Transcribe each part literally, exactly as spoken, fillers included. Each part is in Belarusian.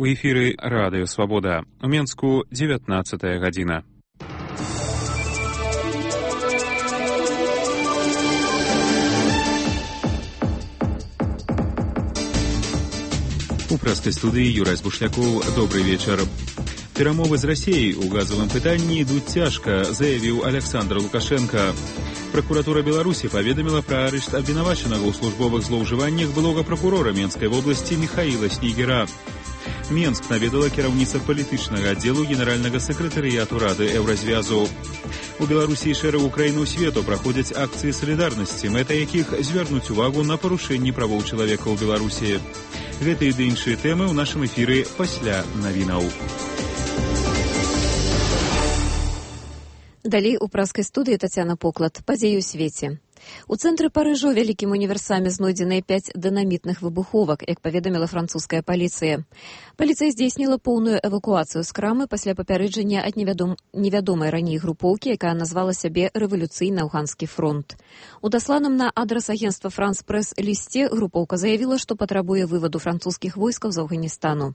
У эфіры Радыё Свабода. У Менску дзевятнаццатая гадзіна. У прэскай студыі Юрай Бушлякоў. Добрый вечар. Перамовы з Расіяй у газавым пытанні ідуць цяжка, заявіў Александр Лукашенко. Прокуратура Беларусі паведаміла пра арышт абвінавачанага ў службовых злоўжываннях былога прокурора Менскай вобласці Михаила Снегера. Менск наведала кіраўніца палітычнага аддзелу генеральнага сакратарыяту Рады Еўразвязу. У Беларусі і шэрагу краінаў свету праходзяць акцыі салідарнасці, мэта якіх звярнуць увагу на парушэнні правоў чалавека ў Беларусі. Гэтыя ды іншыя тэмы ў нашым эфіры пасля навінаў. Далей у праскай студыі Тацяна Поклад. Падзеі ў свеце. У цэнтры Парыжа ў вялікім універсаме знойдзеныя пяць дынамітных выбуховак, як паведаміла французская паліцыя. Паліцыя здзейсніла поўную эвакуацыю з крамы пасля папярэджання ад невядом... невядомай раней групоўкі, якая назвала сябе рэвалюцыйны афганскі фронт. У дасланым на адрас агенцтва Франс Прэс лісце групоўка заявіла, што патрабуе вываду французскіх войскаў з Афганістану.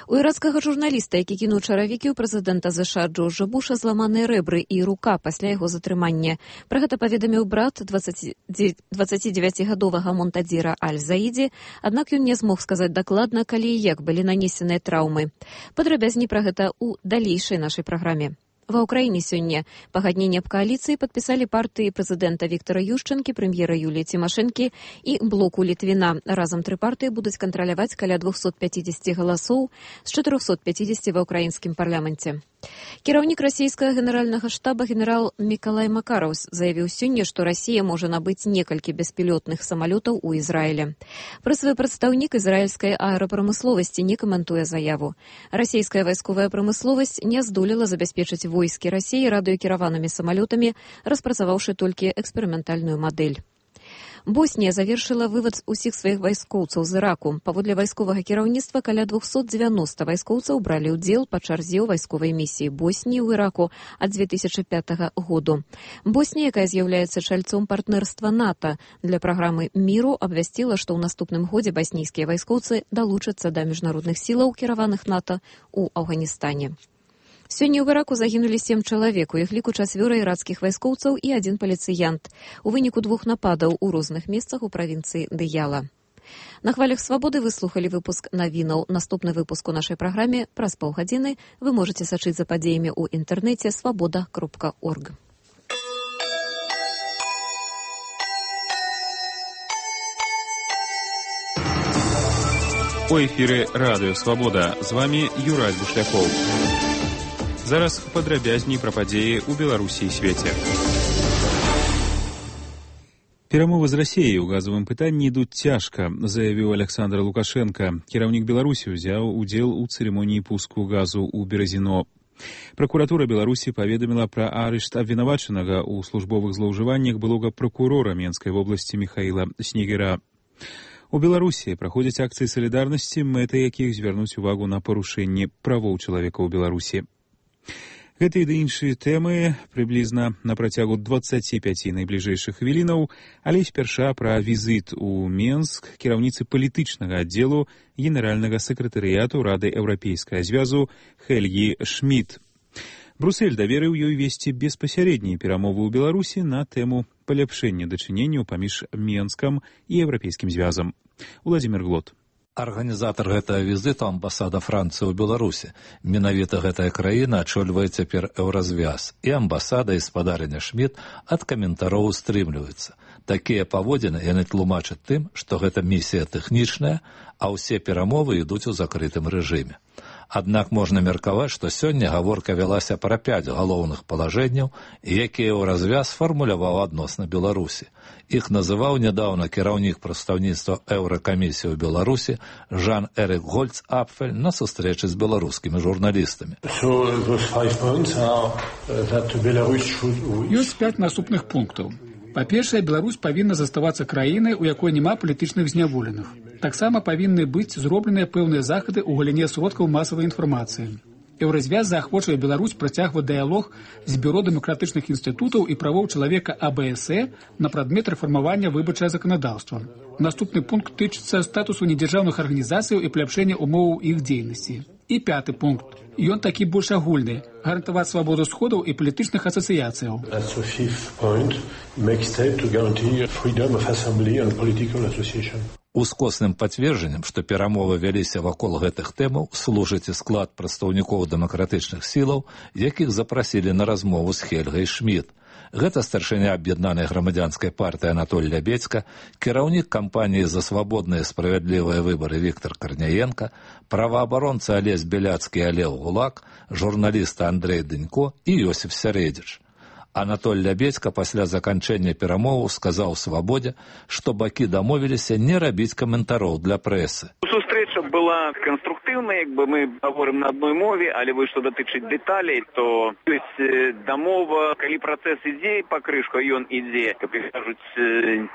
У ірацкага журналіста, які кінуў чаравікі ў прэзідэнта ЗША Джорджа Буша, зламаныя рэбры і рука пасля яго затрымання. Пра гэта паведаміў брат дваццацідзевяцігадовага Монтадзіра Аль-Заідзі, аднак ён не змог сказаць дакладна, калі і як былі нанесеныя траўмы. Падрабязней пра гэта ў далейшай нашай праграме. Ва ўкраіне сёння пагадненне аб кааліцыі падпісалі партыі прэзідэнта Віктара Юшчэнкі, прэм'ера Юліі Цімашэнкі і блоку Літвіна. Разам тры партыі будуць кантраляваць каля двухсот пяцідзесяці галасоў з чатырохсот пяцідзесяці ва ўкраінскім парламенце. Кіраўнік расійскага генеральнага штаба генерал Мікалай Макараў заявіў сёння, што Расія можа набыць некалькі беспілётных самалётаў у Ізраілі. Прэсавы прадстаўнік ізраільскай аэрапрамысловасці не каментуе заяву. Расійская вайсковая прамысловасць не здолела забяспечыць войскі Расіі радыёкіраванымі самалётамі, распрацаваўшы толькі эксперыментальную мадэль. Боснія завершыла вывад усіх сваіх вайскоўцаў з Іраку. Паводле вайсковага кіраўніцтва каля двухсот дзевяноста вайскоўцаў бралі ўдзел па чарзе ў вайсковай місіі Босніі ў Іраку ад дзве тысячы пятага году. Боснія, якая з'яўляецца чальцом партнерства НАТО для праграмы міру, абвясціла, што ў наступным годзе баснійскія вайскоўцы далучацца да міжнародных сілаў, кіраваных НАТО ў Афганістане. Сёння ў Іраку загінулі сем чалавек, у іх ліку чацвёра ірацкіх вайскоўцаў і адзін паліцыянт. У выніку двух нападаў у розных месцах у правінцыі Дыяла. На хвалях свабоды вы слухалі выпуск навінаў. Наступны выпуск у нашай праграме праз паўгадзіны вы можаце сачыць за падзеямі ў інтэрнэце свабода кропка орг. У эфіры Радыё Свабода. З вамі Юрай Бушлякоў. Зараз падрабязней пра падзеі ў Беларусі і свеце. Перамовы з Расіяй у газавым пытанні ідуць цяжка, заявіў Александр Лукашенко. Кіраўнік Беларусі ўзяў удзел у цырымоніі пуску газу ў Беразіно. Прокуратура Беларусі паведаміла пра арышт абвінавачанага ў службовых злоўжываннях былога прокурора Менскай вобласці Михаила Снегера. У Беларусі праходзяць акцыі салідарнасці, мэта якіх звярнуць увагу на парушэнні правоў чалавека ў Беларусі. Гэтыя ды іншыя тэмы прыблізна на працягу дваццаці пяці найбліжэйшых хвілінаў, але спярша пра візіт у Менск кіраўніцы палітычнага аддзелу генеральнага сакратарыяту Рады Еўрапейскага звязу Хельгі Шмідт. Брюссель даверыў ёй весці беспасярэднія перамовы ў Беларусі на тэму паляпшэння дачыненняў паміж Менскам і Еўрапейскім звязам. Уладзімір Глот. Арганізатар гэтага візіту амбасада Францыі ў Беларусі. Менавіта гэтая краіна ачольвае цяпер Еўразвяз, і амбасада і спадарыня Шмідт ад каментароў устрымліваюцца. Такія паводзіны яны тлумачаць тым, што гэта місія тэхнічная, а ўсе перамовы ідуць у закрытым рэжыме. Аднак можна меркаваць, што сёння гаворка вялася пра пяць галоўных палажэнняў, якія Еўразвяз фармуляваў адносна Беларусі. Іх называў нядаўна кіраўнік прадстаўніцтва Еўракамісіі ў Беларусі Жан-Эрік Гольц-Апфель на сустрэчы з беларускімі журналістамі. Ёсць пяць наступных пунктаў. Па-першае, Беларусь павінна заставацца краінай, у якой няма палітычных зняволеных. Таксама павінны быць зробленыя пэўныя захады ў галіне сродкаў масавай інфармацыі. Еўразвяз заахвочвае Беларусь працягваць дыялог з бюро дэмакратычных інстытутаў і правоў чалавека А Б С Э на прадмет рэфармавання выбарчага заканадаўства. Наступны пункт тычыцца статусу недзяржаўных арганізацыяў і паляпшэння умоваў іх дзейнасці. І пяты пункт. Ён такі больш агульны. Гарантаваць свабоду сходаў і палітычных асацыяцыяў. Ускосным пацверджаннем, што перамовы вяліся вакол гэтых тэмаў, служыць і склад прадстаўнікоў дэмакратычных сілаў, якіх запрасілі на размову з Хельгай Шмідт. Гэта старшыня аб'яднанай грамадзянскай партыі Анатоль Лябедзька, кіраўнік кампаніі за свабодныя справядлівыя выбары Віктор Карняенка, праваабаронца Алесь Беляцкі і Алеў Гулак, журналіста Андрэй Дынько і Йосіф Сярэдзіч. Анатоль Лябедзька пасля заканчэння перамоваў сказаў Свабодзе, што бакі дамовіліся не рабіць каментароў для прэсы. Сустрэча была канструктыўная, як бы мы гаворым на адной мове, але вось што датычыць дэталей, то ёсць дамова, калі працэс ідзе па крышку, ён ідзе, каб кажуць,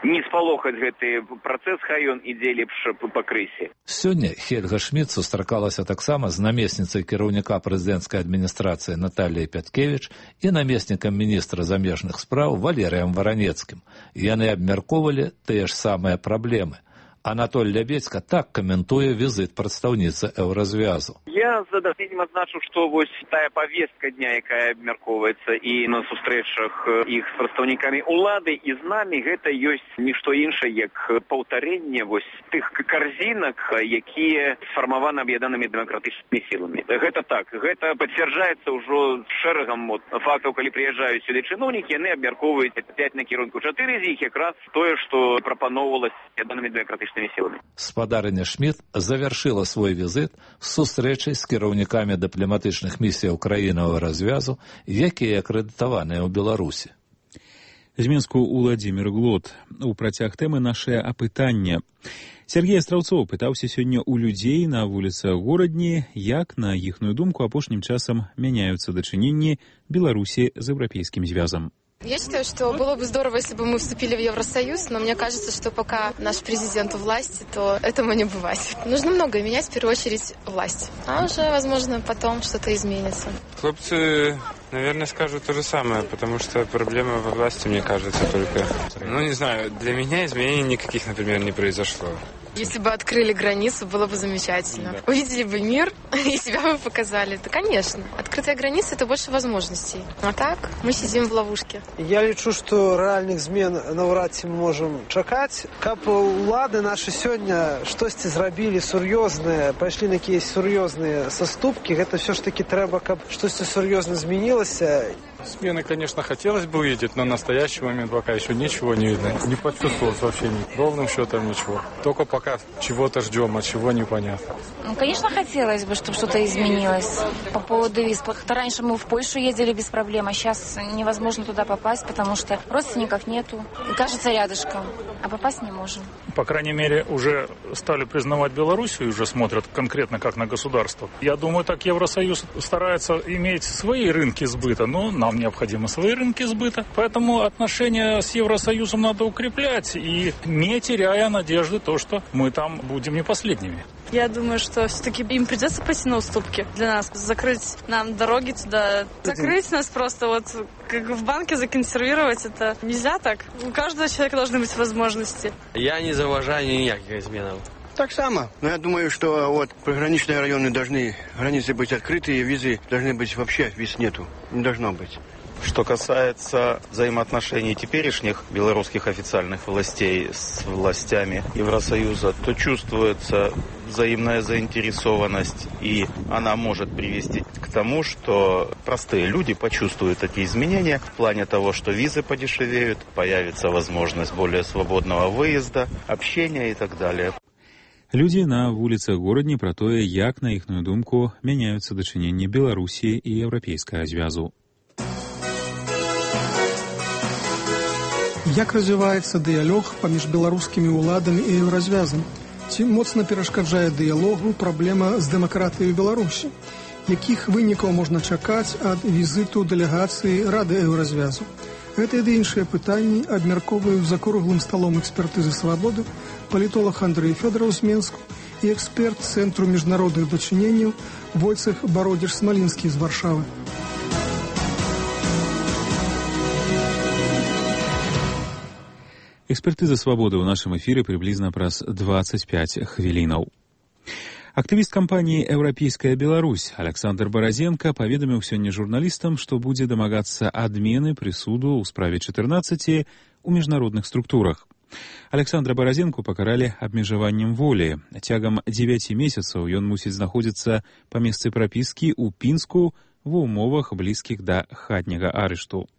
не спалохаць гэты працэс, хай ён ідзе лепш па крысе. Сёння Хельга Шмідт сустракалася таксама з намесніцай кіраўніка прэзідэнцкай адміністрацыі Наталіяй Пяткевіч і намеснікам міністра замежных спраў Валерыем Варанецкім. Яны абмяркоўвалі тыя ж самыя праблемы. Анатоль Лябедзька так каментуе візіт прадстаўніцы Еўразвязу. Я задавненнем адзначу, што вось тая павестка дня, якая абмяркоўваецца і на сустрэчах іх з прадстаўнікамі ўлады і з намі, гэта ёсць нішто іншае, як паўтарэнне вось тых карзінак, якія сфармаваны аб'яднанымі дэмакратычнымі сіламі. Гэта так, гэта пацвярджаецца ўжо шэрагам фактаў, калі прыязджаюць сюды чыноўнікі, яны абмяркоўваюць пяць накірунку, чатыры з іх якраз тое, што прапаноўвалася аб'яднанымі дэмакратычнымі сіламі. Спадарыня Шмідт завяршыла свой візіт з сустрэчай з кіраўнікамі дыпламатычных місіяў краінаў развязу, якія акрэдытаваныя ў Беларусі. З Мінску Уладзімір Глот. У працяг тэмы нашае апытання. Сергей Астраўцоў пытаўся сёння ў людзей на вуліцах горадні, як, на іхную думку, апошнім часам мяняюцца дачыненні Беларусі з Еўрапейскім звязам. Я считаю, что было бы здорово, если бы мы вступили в Евросоюз, но мне кажется, что пока наш президент у власти, то этому не бывать. Нужно многое менять, в первую очередь, власть. А уже, возможно, потом что-то изменится. Хлопцы, наверное, скажут то же самое, потому что проблема во власти, мне кажется, только... Ну, не знаю, для меня изменений никаких, например, не произошло. Если бы открыли границу, было бы замечательно. Да. Увидели бы мир и себя бы показали. Да, конечно. Открытая граница – это больше возможностей. А так мы сидим в ловушке. Я лічу, што рэальных змен наўрад ці мы можам чакаць. Каб улады нашы сёння штосьці зрабілі сур'ёзнае, пайшлі на якісь сур'ёзныя саступкі, гэта все ж таки трэба, каб штосьці сур'ёзна змянілася. Смены, конечно, хотелось бы увидеть, но в настоящий момент пока еще ничего не видно. Не почувствовалось вообще ни, ровным счетом ничего. Только пока чего-то ждем, а чего непонятно. Ну, конечно, хотелось бы, чтобы что-то изменилось по поводу виз. Раньше мы в Польшу ездили без проблем, а сейчас невозможно туда попасть, потому что родственников нету. И кажется, рядышком, а попасть не можем. По крайней мере, уже стали признавать Белоруссию, уже смотрят конкретно как на государство. Я думаю, так Евросоюз старается иметь свои рынки сбыта, но нам необходимы свои рынки сбыта. Поэтому отношения с Евросоюзом надо укреплять и не теряя надежды то, что мы там будем не последними. Я думаю, что все-таки им придется пойти на уступки для нас, закрыть нам дороги туда, закрыть нас просто вот как в банке законсервировать, это нельзя так. У каждого человека должны быть возможности. Я не заважаю никаких изменов. Так само. Но я думаю, что вот приграничные районы должны, границы быть открыты, визы должны быть вообще, виз нету, не должно быть. Что касается взаимоотношений теперешних белорусских официальных властей с властями Евросоюза, то чувствуется взаимная заинтересованность, и она может привести к тому, что простые люди почувствуют эти изменения в плане того, что визы подешевеют, появится возможность более свободного выезда, общения и так далее. Людзі на вуліцах горадні пра тое, як, на іхную думку, мяняюцца дачыненні Беларусі і Еўрапейскага звязу. Як развіваецца дыялог паміж беларускімі ўладамі і еўразвязам? Ці моцна перашкаджае дыялогу праблема з дэмакратыяй Беларусі? Якіх вынікаў можна чакаць ад візіту дэлегацыі Рады еўразвязу? Гэта і іншыя пытанні абмяркоўваю за круглым сталом экспертызы «Свабоды» палітолог Андрэй Фёдораў з Мінску і эксперт Цэнтру міжнародных дачыненняў Войцех Бародзіш-Смалінскі з Варшавы. Экспертыза свабоды ў нашым эфіры прыблізна праз дваццаць пяць хвілінаў. Актывіст кампаніі «Еўрапейская Беларусь» Александр Баразенко паведаміў сёння журналістам, што будзе дамагацца адмены прысуду ў справе чатырнаццаці ў міжнародных структурах. Александра Баразенку пакаралі абмежаваннем волі. Цягам дзевяці месяцаў ён мусіць знаходзіцца па месцы прапіскі ў Пінску ва ўмовах блізкіх да хатняга арышту.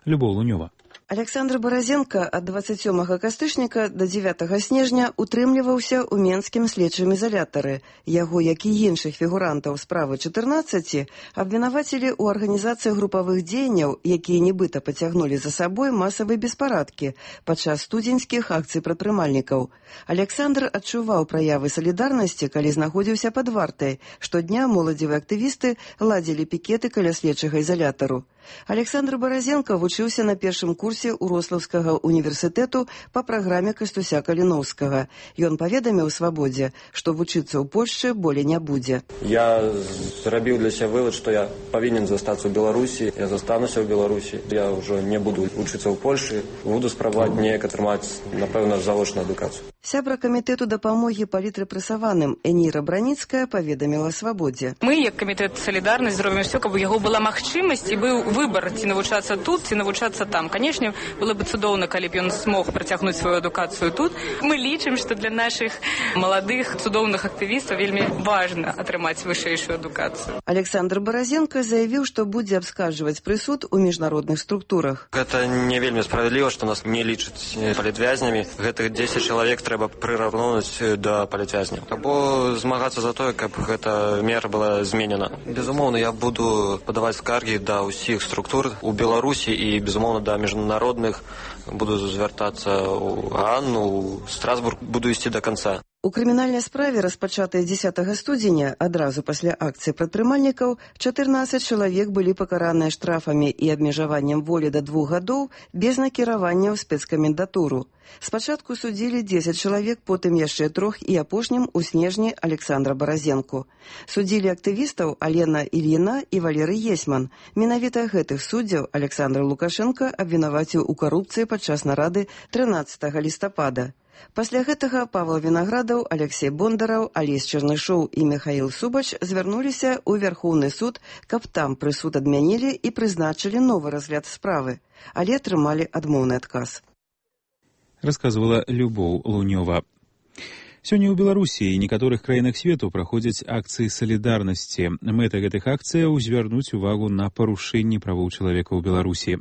Любоў Лунёва. Александр Баразенко ад дваццаць сёмага кастрычніка да дзевятага снежня утрымліваўся ў менскім следчым ізалятары. Яго, як і іншых фігурантаў справы чатырнаццаці, абвінавацілі ў арганізацыі групавых дзеянняў, якія нібыта пацягнулі за сабой масавыя беспарадкі падчас студзеньскіх акцый прадпрымальнікаў. Александр адчуваў праявы салідарнасці, калі знаходзіўся пад вартай. Штодня моладзевыя актывісты ладзілі пікеты каля следчага ізалятару. Александр Баразенко вучыўся на першым курсе Урослаўскага універсітэту па праграме Кастуся Каліноўскага. Ён паведаміў «Свабодзе», што вучыцца ў Польшчы болей не будзе. Я зрабіў для сябе вывод, што я павінен застацца ў Беларусі. Я застануся ў Беларусі. Я ўжо не буду вучыцца ў Польшы. Буду спрабаваць неяк атрымаць, напэўна, завочную адукацыю. Сябра камітэту дапамогі палітрэпрэсаваным Эніра Браніцкая паведаміла «Свабодзе». Мы, як камітэт «Салідарнасць», зробім усё, каб у яго была магчымасць і быў выбар, ці навучацца тут, ці навучацца там. Канешне, было бы цудоўна, калі б ён смог працягнуць сваю адукацыю тут. Мы лічым, што для нашых маладых цудоўных актывістаў вельмі важна атрымаць вышэйшую адукацыю. Александр Баразенко заявіў, што будзе абскарджваць прысуд у міжнародных структурах. Гэта не вельмі справядліва, што нас не лічаць палітвязнямі. Гэтых дзесяць чалавек трэба прыраўнуць да палітвязняў. Або змагацца за тое, каб гэта мера была зменена. Безумоўна, я буду падаваць скаргі да ўсіх структур у Беларусі і, безумоўна, да міжнародных. Буду звяртацца ў Ганну, ў Страсбург, буду ісці да канца. У крымінальнай справе, распачатай дзесятага студзеня, адразу пасля акцыі прадпрымальнікаў, чатырнаццаць чалавек былі пакараныя штрафамі і абмежаваннем волі да двух гадоў без накіравання ў спецкамендатуру. Спачатку судзілі дзесяць чалавек, потым яшчэ трох і апошнім у снежні Александра Баразенку. Судзілі актывістаў Алена Ільіна і Валерый Есьман. Менавіта гэтых суддзяў Александр Лукашенко абвінаваціў у карупцыі падчас нарады трынаццатага лістапада. Пасля гэтага Павел Вінаградаў, Алексей Бондараў, Алесь Чернышоў і Михаил Субач звярнуліся ў Вярхоўны суд, каб там прысуд адмянілі і прызначылі новы разгляд справы, але атрымалі адмоўны адказ. Расказвала Любоў Лунёва. Сёння ў Беларусі і некаторых краінах свету праходзяць акцыі салідарнасці. Мэта гэтых акцыяў звярнуць увагу на парушэнні правоў чалавека ў Беларусі.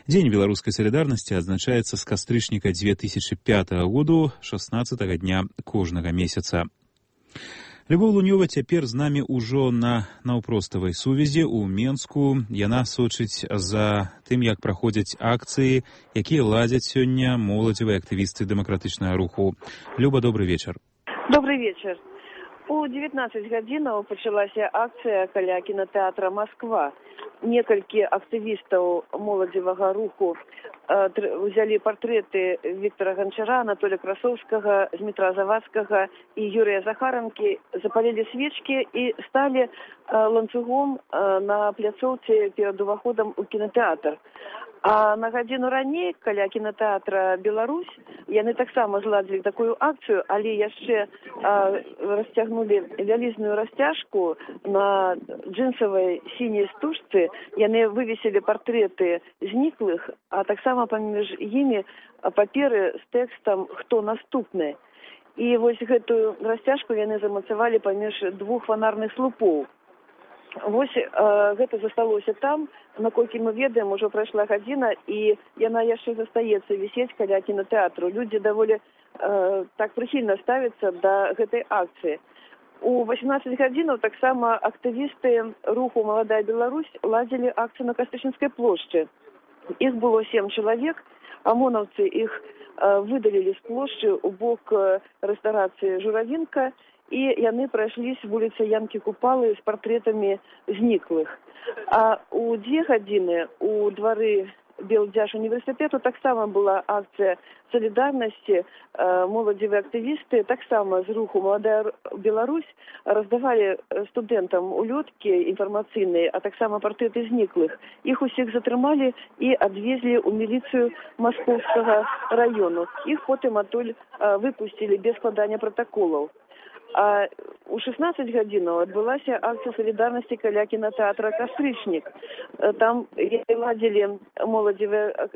Дзень беларускай салідарнасці адзначаецца з кастрычніка дзве тысячы пятага году, шаснаццатага дня кожнага месяца. Любоў Лунёва цяпер з намі ўжо на наўпроставай сувязі ў Менску. Яна сочыць за тым, як праходзяць акцыі, якія ладзяць сёння моладзевыя актывісты дэмакратычнага руху. Люба, добрый вечар. Добрый вечар. У дзевятнаццаць гадзінаў пачалася акцыя каля кінотэатра «Москва». Некалькі актывістаў моладзевага руху взялі партрэты Віктора Ганчара, Анатолія Красоўскага, Дмітра Завадскага і Юрія Захаранкі, запалілі свечкі і сталі ланцугом на пляцоўцы перад уваходам у кінотэатр. А на гадзіну раней каля кінотэатра «Беларусь» яны таксама зладзілі такую акцыю, але яшчэ а, расцягнулі вялізную расцяжку на джинсавай сіняй стужцы. Яны вывесілі партрэты зніклых, а таксама паміж імі паперы з тэкстам «Хто наступны?». І вось гэтую расцяжку яны замацавалі паміж двух фанарных слупоў. Вось э, гэта засталося там, наколькі мы ведаем, ужо прайшла гадзіна, і яна яшчэ застаецца вісець каля кінотэатру. Людзі даволі э, так прыхільна ставяцца да гэтай акцыі. У васемнаццаць гадзінаў таксама актывісты руху «Маладая Беларусь» ладзілі акцыю на Кастрычніцкай плошчы. Іх было сем чалавек, амонаўцы іх э, выдалілі з плошчы ў бок э, рэстарацыі «Журавінка», і яны прайшлі з вуліцы Янкі Купалы з партрэтамі зніклых. А у дзве гадзіны у двары Белдзяж універсітэту таксама была акцыя солідарнасці. Моладзевыя актывісты таксама з руху «Маладая Беларусь» раздавалі студэнтам улёткі інфармацыйныя, а таксама партрэты зніклых. Іх усіх затрымалі і адвезлі ў міліцыю Маскоўскага раёну. Іх потым адтуль выпусцілі без складання пратаколаў. А у шестнадцать гадзінаў адбылася акцыя солідарнасці каля кінотэатра «Кастрычнік». Там ладзілі моладзевыя,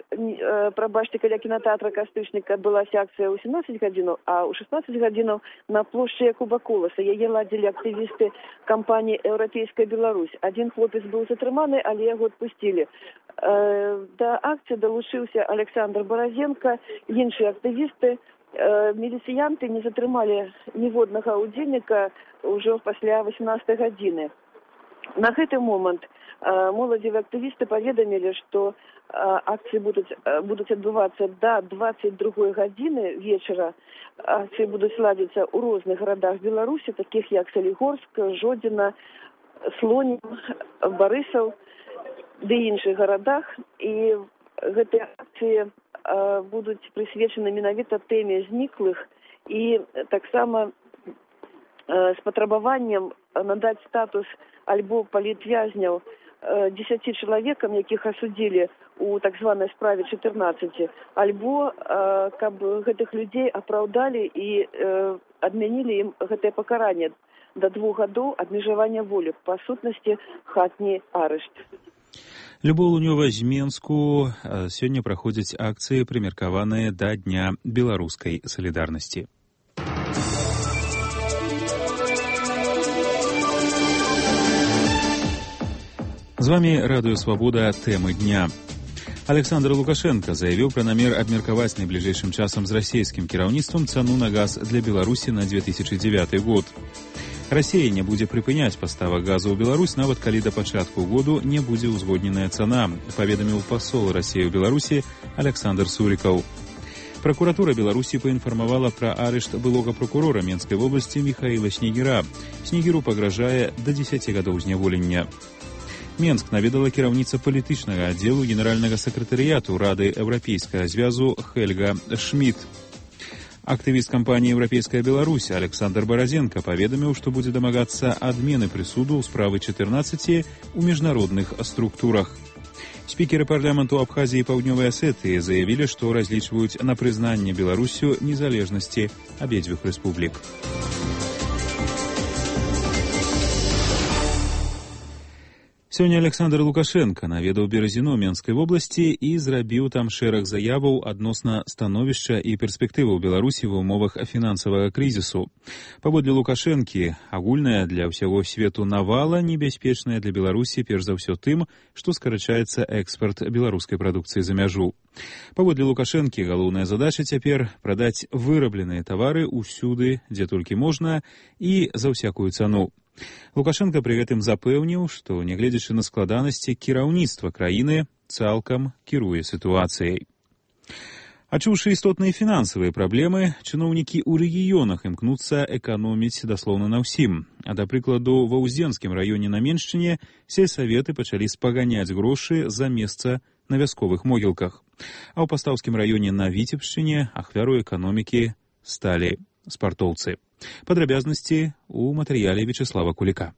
прабачце, каля кінотэатра «Кастрычнік» адбылася акцыя ў семнадцать гадзінаў, а ў шестнадцать гадзінаў на плошчы Якуба Коласа. Яе ладзілі актывісты кампаніі «Еўрапейская Беларусь». Адзін хлопец быў затрыманы, але яго адпусцілі. Да акцыі далучыўся Александр Баразенко, іншыя актывісты. Міліцыянты не затрымалі ніводнага ўдзельніка ўжо пасля восемнадцатай гадзіны. На гэты момант моладзевыя актывісты паведамілі, што акцыі будуць, будуць адбывацца да двадцать другой гадзіны вечара. Акцыі будуць ладзіцца ў розных гарадах Беларусі, такіх як Салігорск, Жодзіна, Слонім, Барысаў ды іншых гарадах. І гэтыя акцыі будуць прысвечаны менавіта тэме зніклых і таксама з патрабаваннем надаць статус альбо палітвязняў дзесяці чалавекам, якіх асудзілі у так званай справе чатырнаццаці, альбо каб гэтых людзей апраўдалі і адмянілі ім гэтае пакаранне да двух гадоў абмежавання волі, па сутнасці хатні арышт. Любоў Лунёва з Менску. Сёння праходзяць акцыі, прымеркаваныя да Дня беларускай салідарнасці. З вами Радыё Свабода. Тэмы дня. Александр Лукашенко заявіў пра намер абмеркаваць найбліжэйшым часам з расійскім кіраўніцтвам цану на газ для Беларусі на две тысячи девятый год. Расія не будзе прыпыняць паставак газу ў Беларусь, нават калі да пачатку году не будзе ўзгодненая цана, паведаміў пасол Расіі ў Беларусі Александр Сурікаў. Пракуратура Беларусі паінфармавала пра арышт былога прокурора Менскай вобласці Михаила Снегіра. Снегіру пагражае да дзесяці гадоў зняволення. Менск наведала кіраўніца палітычнага аддзелу генеральнага сакратарыяту Рады Еўрапейскага звязу Хельга Шмідт. Актывіст кампаніі «Еўрапейская Беларусь» Александр Баразенко паведаміў, што будзе дамагацца адмены прысуду ў справы чатырнаццаці ў міжнародных структурах. Спікеры парламенту Абхазіі і Паўднёвай Асетыі заявілі, што разлічваюць на прызнанне Беларусю незалежнасці абедзвюх рэспублік. Сёння Александр Лукашенко наведаў Беразіно Менскай вобласці і зрабіў там шэраг заяваў адносна становішча і перспектываў Беларусі ва ўмовах фінансавага крызісу. Паводле Лукашэнкі, агульная для ўсяго свету навала небяспечная для Беларусі перш за ўсё тым, што скарачаецца экспарт беларускай прадукцыі за мяжу. Паводле Лукашэнкі, галоўная задача цяпер прадаць вырабленыя тавары ўсюды, дзе толькі можна, і за ўсякую цану. Лукашенко пры гэтым запэўніў, што, нягледзячы на складанасці, кіраўніцтва краіны цалкам кіруе сітуацыяй. Адчуўшы істотныя фінансавыя праблемы, чыноўнікі ў рэгіёнах імкнуцца эканоміць даслоўна на ўсім. А, да прыкладу, ва Ўздзенскім раёне на Меншчыне сельсаветы пачалі спаганяць грошы за месца на вясковых могілках. А ў Пастаўскім раёне на Віцебшчыне ахвяру эканомікі сталі спартоўцы. Падрабязнасці ў матэрыяле Вячеслава Куліка.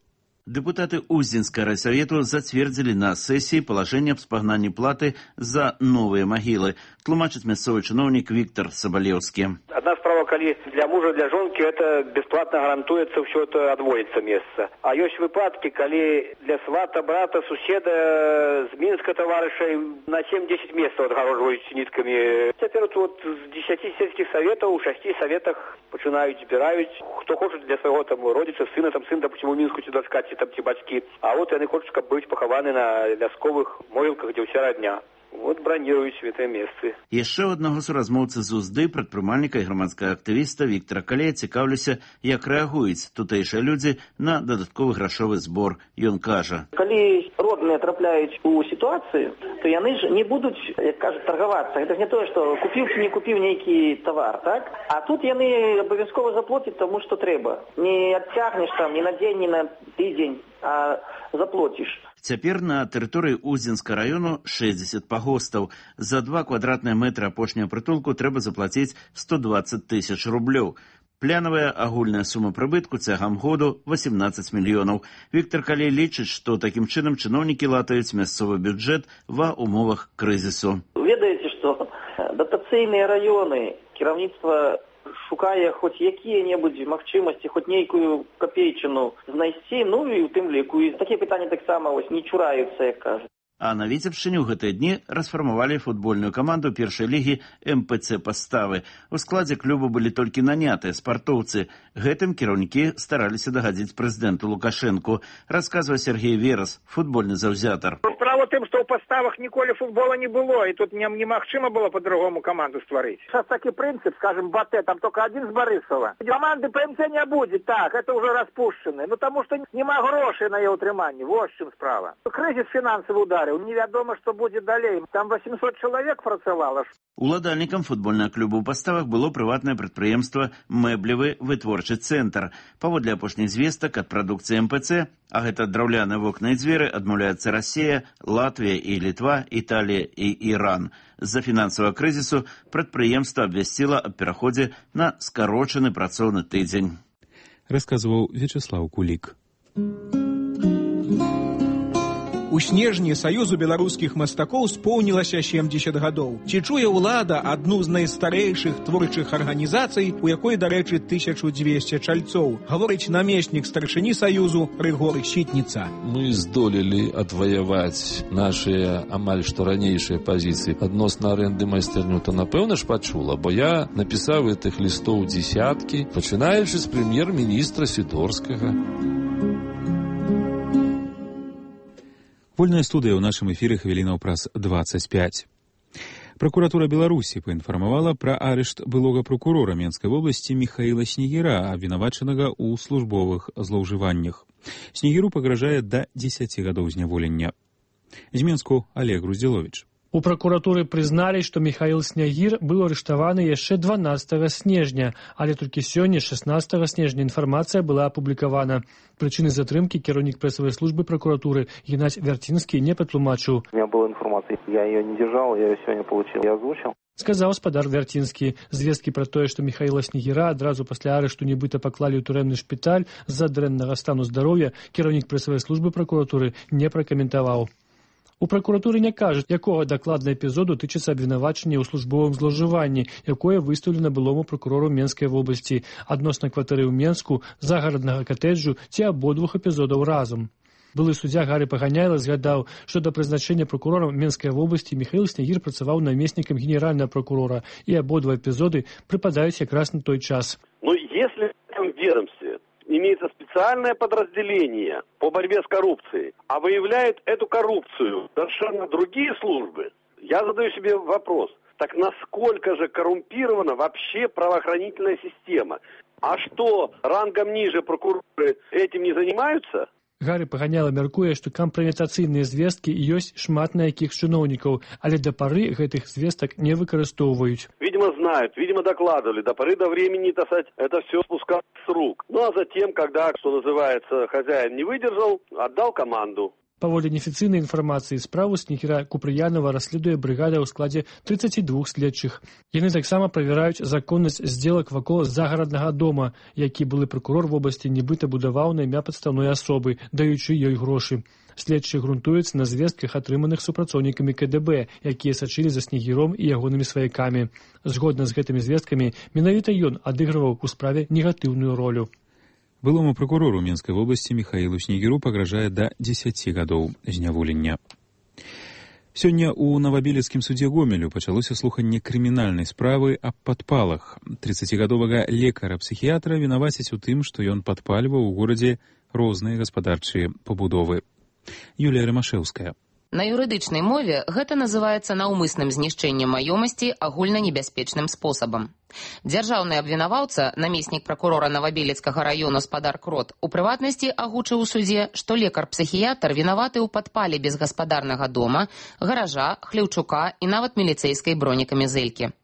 Депутаты Уздзенскага райсовету зацвердзілі на сессии положение об спагнанні платы за новые могилы. Тлумачыць мясцовы чыноўнік Виктор Соболевский. Одна справа, калі для мужа, для жонки это бесплатно гарантуецца, все это адводится месца. А ёсць выпадки, калі для свата, брата, суседа з Мінска таварышай на семь-десять месцаў адгароджваюць ніткамі. Цяпер вот з десяти сельских советаў у шасці советах пачынаюць, збіраюць, хто хоча для свайго там родзіца, сына, там сын, допустим, у Мінску ці дачка, ці там ці бацькі. А вот яны хочуць, каб быць пахаваны на вясковых могілках, дзе ўся родня. Вот браніруюць гэтыя месцы. Яшчэ аднаго суразмоўцы з Узды, прадпрымальніка і грамадскага актывіста Віктара Калея цікаўлюся, як рэагуюць тутэйшыя людзі на дадатковы грашовы збор. Ён кажа: калі родны трапляюць у сітуацыю, то яны ж не будуць, як кажуць, таргавацца. Гэта ж не тое, што купіў ці не купіў нейкі тавар, так? А тут яны абавязкова заплоцяць таму, што трэба. Не адцягнеш там ні на дзень, ні на тыдзень, а заплоціш. Цяпер на тэрыторыі Узенска раёну шэсцьдзесят пагостаў. За два квадратныя метры апошняга прытулку трэба заплаціць сто дваццаць тысяч рублёў. Планавая агульная сума прыбытку цягам году восемнадцаць мільёнаў. Віктор Калей лічыць, што такім чынам чыноўнікі латаюць мясцовы бюджэт ва умовах крызісу. Ведаеце, што датацыйныя раёны, кіраўніцтва шукае хоць якія-небудзь магчымасці, хоць нейкую капейчыну знайсці, ну і ў тым ліку. І такія пытанні таксама вось не чураюцца, як кажуць. А на Віцебшчыне ў гэтыя дні расфармавалі футбольную каманду першай лігі эм пэ цэ Паставы. У складзе клубу былі толькі нанятыя спартоўцы. Гэтым кіраўнікі стараліся дагадзіць прэзідэнту Лукашэнку, расказвае Сергей Верас, футбольны заўзятар. Справа ў тым, што ў Паставах ніколі футбола не было, і тут немагчыма было по-другому каманду стварыць. Сейчас такі прынцып, скажем, Батэ, там только один з Барысава. Команды пэ эм цэ не будзе, так, это уже распушчаны. Ну, таму што няма грошай на яе ўтрыманне, вось чым справа. Крызіс фінансавы удар. Невядома, што будзе далей. Там восемьсот чалавек працавала. Уладальнікам футбольнага клуба ў Паставах было прыватнае прадпрыемства «Мэблевы вытворчы цэнтр». Паводле апошніх звестак ад прадукцыі эм пэ цэ, а гэта драўляныя вокны і дзверы, адмаўляецца Расія, Латвія і Літва, Італія і Іран. З-за фінансавага крызісу прадпрыемства абвясціла аб пераходзе на скарочаны працоўны тыдзень. Расказваў Вячеслав Кулік. У снежні Саюзу беларускіх мастакоў споўнілася семьдесят гадоў. Ці чуе ўлада адну з найстарэйшых творчых арганізацый, у якой, дарэчы, тысяча двести чальцоў, гаворыць намеснік старшыні Саюзу Рыгор Сітніца. Мы здолелі адваяваць нашыя амаль што ранейшыя пазіцыі адносна арэнды майстэрню, то напэўна ж пачула, бо я напісаў гэтых лістоў дзесяткі, пачынаючы з прэм'ер-міністра Сідорскага. Вольная студыя ў нашым эфіры хвілінаў праз двадцать пять. Пракуратура Беларусі паінфармавала пра арышт былога прокурора Менскай вобласці Міхаіла Снегіра, абвінавачанага ў службовых злоўжываннях. Снегіру пагражае да дзесяці гадоў зняволення. З Менску Олег Груздзіловіч. У пракуратуры прызналі, што Міхаіл Снягір быў арыштаваны яшчэ дванаццатага снежня, але толькі сёння, шаснаццатага снежня, інфармацыя была апублікавана. Прычыны затрымкі кіраўнік прэсавай службы прокуратуры Геннадзь Вярцінскі не патлумачыў. У меня была информация, я ее не держал, я ее сегодня получил, я озвучил. Сказаў спадар Вярцінскі. Звесткі пра тое, што Міхаіла Снегіра адразу пасля арышту нібыта паклалі ў турэмны шпіталь з-за дрэннага стану здароўя, кіраўнік прэсавай службы прокуратуры не пракаментаваў. У пракуратуры не кажуць, якога дакладна эпізоду тычыцца абвінавачання ў службовым злоўжыванні, якое выстаўлена былому прокурору Менскай вобласці адносна кватэры ў Менску, загараднага катэджу ці абодвух эпізодаў разам. Былы суддзя Гары Паганяйла згадаў, што да прызначэння прокурорам Менскай вобласці Міхаіл Снегір працаваў намеснікам генеральнага прокурора, і абодва эпізоды прыпадаюць якраз на той час. Ну, если в этом ведомстве имеется специальное подразделение по борьбе с коррупцией, а выявляют эту коррупцию совершенно другие службы, я задаю себе вопрос, так насколько же коррумпирована вообще правоохранительная система? А что, рангом ниже прокуроры этим не занимаются? Гары Паганяйла мяркуе, што кампраметацыйныя звесткі ёсць шмат на якіх чыноўнікаў, але да пары гэтых звестак не выкарыстоўваюць. Видимо, знают, видимо, докладывали. До поры до времени, так сказать, это все спускалось с рук. Ну, а затем, когда, что называется, хозяин не выдержал, отдал команду. Паводле неафіцыйнай інфармацыі, справу Снегіра Купрыянова расследуе брыгада ў складзе тридцати двух следчых. Яны таксама правяраюць законнасць здзелак вакол загараднага дома, які былы прокурор вобласці нібыта будаваў на імя падстаўной асобы, даючы ёй грошы. Следчыя грунтуюцца на звестках, атрыманых супрацоўнікамі ка дэ бэ, якія сачылі за Снегіром і ягонымі сваякамі. Згодна з гэтымі звесткамі, менавіта ён адыгрываў у справе негатыўную ролю. Былому прокурору Менскай вобласці Міхаілу Снегіру пагражае да дзесяці гадоў зняволення. Сёння ў Новабелецкім судзе Гомелю пачалося слуханне крымінальнай справы аб падпалах. трыццацігадовага лекара-псіхіятра вінавацяць у тым, што ён падпальваў у горадзе розныя гаспадарчыя пабудовы. Юлія Рамашэўская. На юрыдычнай мове гэта называецца наўмысным знішчэннем маёмасці агульнанебяспечным спосабам. Дзяржаўны абвінаваўца, намеснік пракурора Новабелецкага раёну спадар Крот, у прыватнасці агучыў у судзе, што лекар-псіхіятр вінаваты ў падпале безгаспадарнага дома, гаража, хлеўчука і нават міліцэйскай бронекамізэлькі.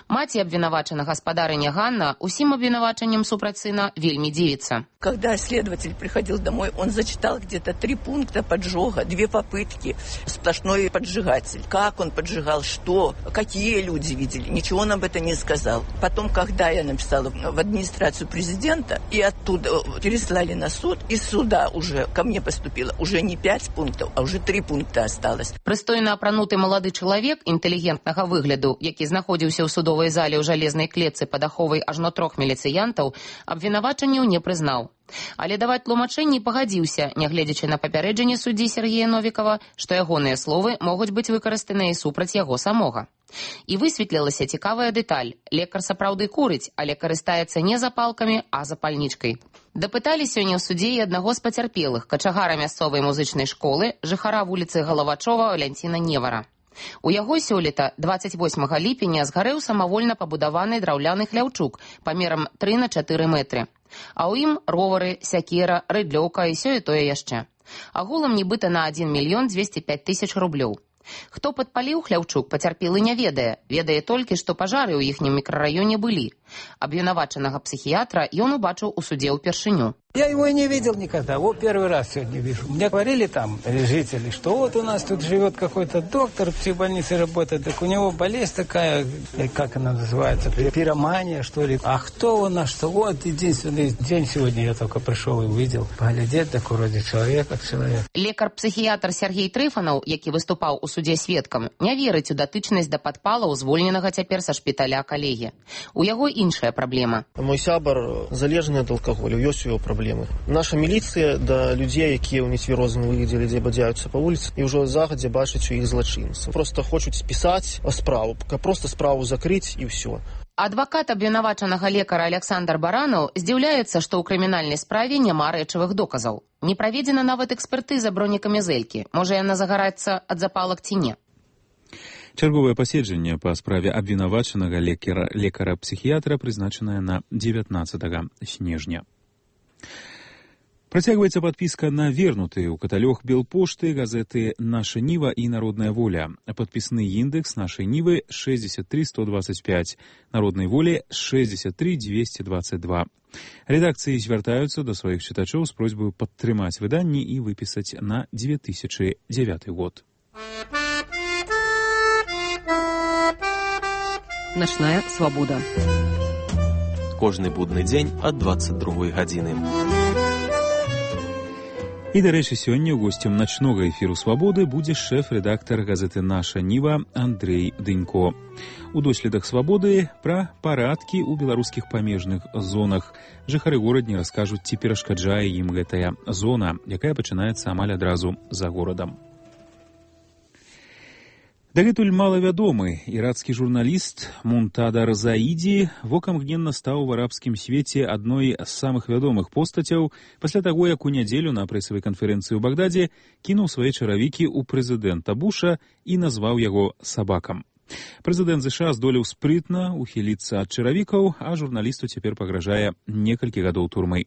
Маці абвінавачанага гаспадарыня Ганна усім абвінавачаннем супраць сына вельмі дзівіцца. Когда следователь приходил домой, он зачитал где-то три пункта поджога, две попытки, сплошной поджигатель. Как он поджигал, что, какие люди видели, ничего он об этом не сказал. Потом, когда я написала в администрацию президента, и оттуда переслали на суд, из суда уже ко мне поступило уже не пять пунктов, а уже три пункта осталось. Прыстойна апрануты малады чалавек інтэлігентнага выгляду, які знаходзіўся ў судовай зале ў жалезнай клетцы пад аховай ажно трох міліцыянтаў, абвінавачанняў не прызнаў. Але даваць тлумачэнні пагадзіўся, нягледзячы на папярэджанне суддзі Сергея Новікава, што ягоныя словы могуць быць выкарыстаныя і супраць яго самога. І высветлілася цікавая дэталь. Лекар сапраўды курыць, але карыстаецца не запалкамі, а запальнічкай. Дапыталі сёння ў судзе і аднаго з пацярпелых, качагара мясцовай музычнай школы, жыхара вуліцы Галавачова Валянціна Невара. У яго сёлета, дваццаць восьмага ліпеня, згарэў самавольна пабудаваны драўляны хляўчук памерам тры на чатыры метры. А ў ім ровары, сякера, рыдлёўка і сёе-тое яшчэ. Агулам нібыта на адзін мільён дзвесце пяць тысяч рублёў. Хто падпаліў хляўчук, пацярпелы не ведае. Ведае толькі, што пажары ў іхнім мікрараёне былі. Абвінавачанага психиатра ён убачыў у суде ўпершыню. Я его и не видел никогда, вот первый раз сегодня вижу. Мне говорили там жители, что вот у нас тут живет какой-то доктор, в психбольнице работает, так у него болезнь такая, как она называется, пиромания, что ли. А кто он, а что? Вот единственный день сегодня я только пришел и увидел. Поглядеть, так вроде человек как человек. Лекар-психіятр Сергей Трыфанаў, які выступаў у суде сведкам, не верыць у датычнасць да падпалаў звольненага цяпер са шпіталя калегі. У яго іншая праблема. Мой сябар залежны ад алкаголю, ёсць у яго праблемы. Наша міліцыя да людзей, якія ў нецвярозым выглядзе людзей бадзяюцца па вуліцы, і ўжо загадзя бачыць у іх злачынцаў. Просто хочуць спісаць справу, каб проста справу закрыць і ўсё. Адвакат абвінавачанага лекара Александр Баранаў здзіўляецца, што ў крымінальнай справе няма рэчавых доказаў. Не праведзена нават экспертыза бронекамізэлькі. Можа яна загараецца ад запалак ці не. Чарговае паседжанне па справе абвінавачанага лекара-псіхіятра прызначанае на дзевятнаццатага снежня. Працягваецца падпіска на вернутыя ў каталог Белпошты, газеты «Наша Нива» і «Народная воля». Падпісны індекс «Нашай Нівы» шестьдесят три сто двадцать пять, «Народнай волі» шестьдесят три двести двадцать два. Рэдакцыі звяртаюцца да сваіх чытачоў з просьбай падтрымаць выданні і выпісаць на две тысячи девятый год. Начная свабода. Кожны будны дзень ад двадцать другой гадзіны. І, дарэчы, сёння госцем начнога эфіру «Свабоды» будзе шэф-рэдактар газеты «Наша Ніва» Андрэй Дынько. У доследах «Свабоды» пра парадкі ў беларускіх памежных зонах. Жыхары горадні раскажуць, ці перашкаджае ім гэтая зона, якая пачынаецца амаль адразу за горадам. Дагэтуль малавядомы іракскі журналіст Мунтадар Заіді вокам гненна стаў у арабскім свеце адной з самых вядомых постацяў пасля таго, як у нядзелю на прэсавай канферэнцыі ў Багдадзе кінуў свае чаравікі ў прэзідэнта Буша і назваў яго сабакам. Прэзідэнт ЗША здолеў спрытна ухіліцца ад чаравікаў, а журналісту цяпер пагражае некалькі гадоў турмы.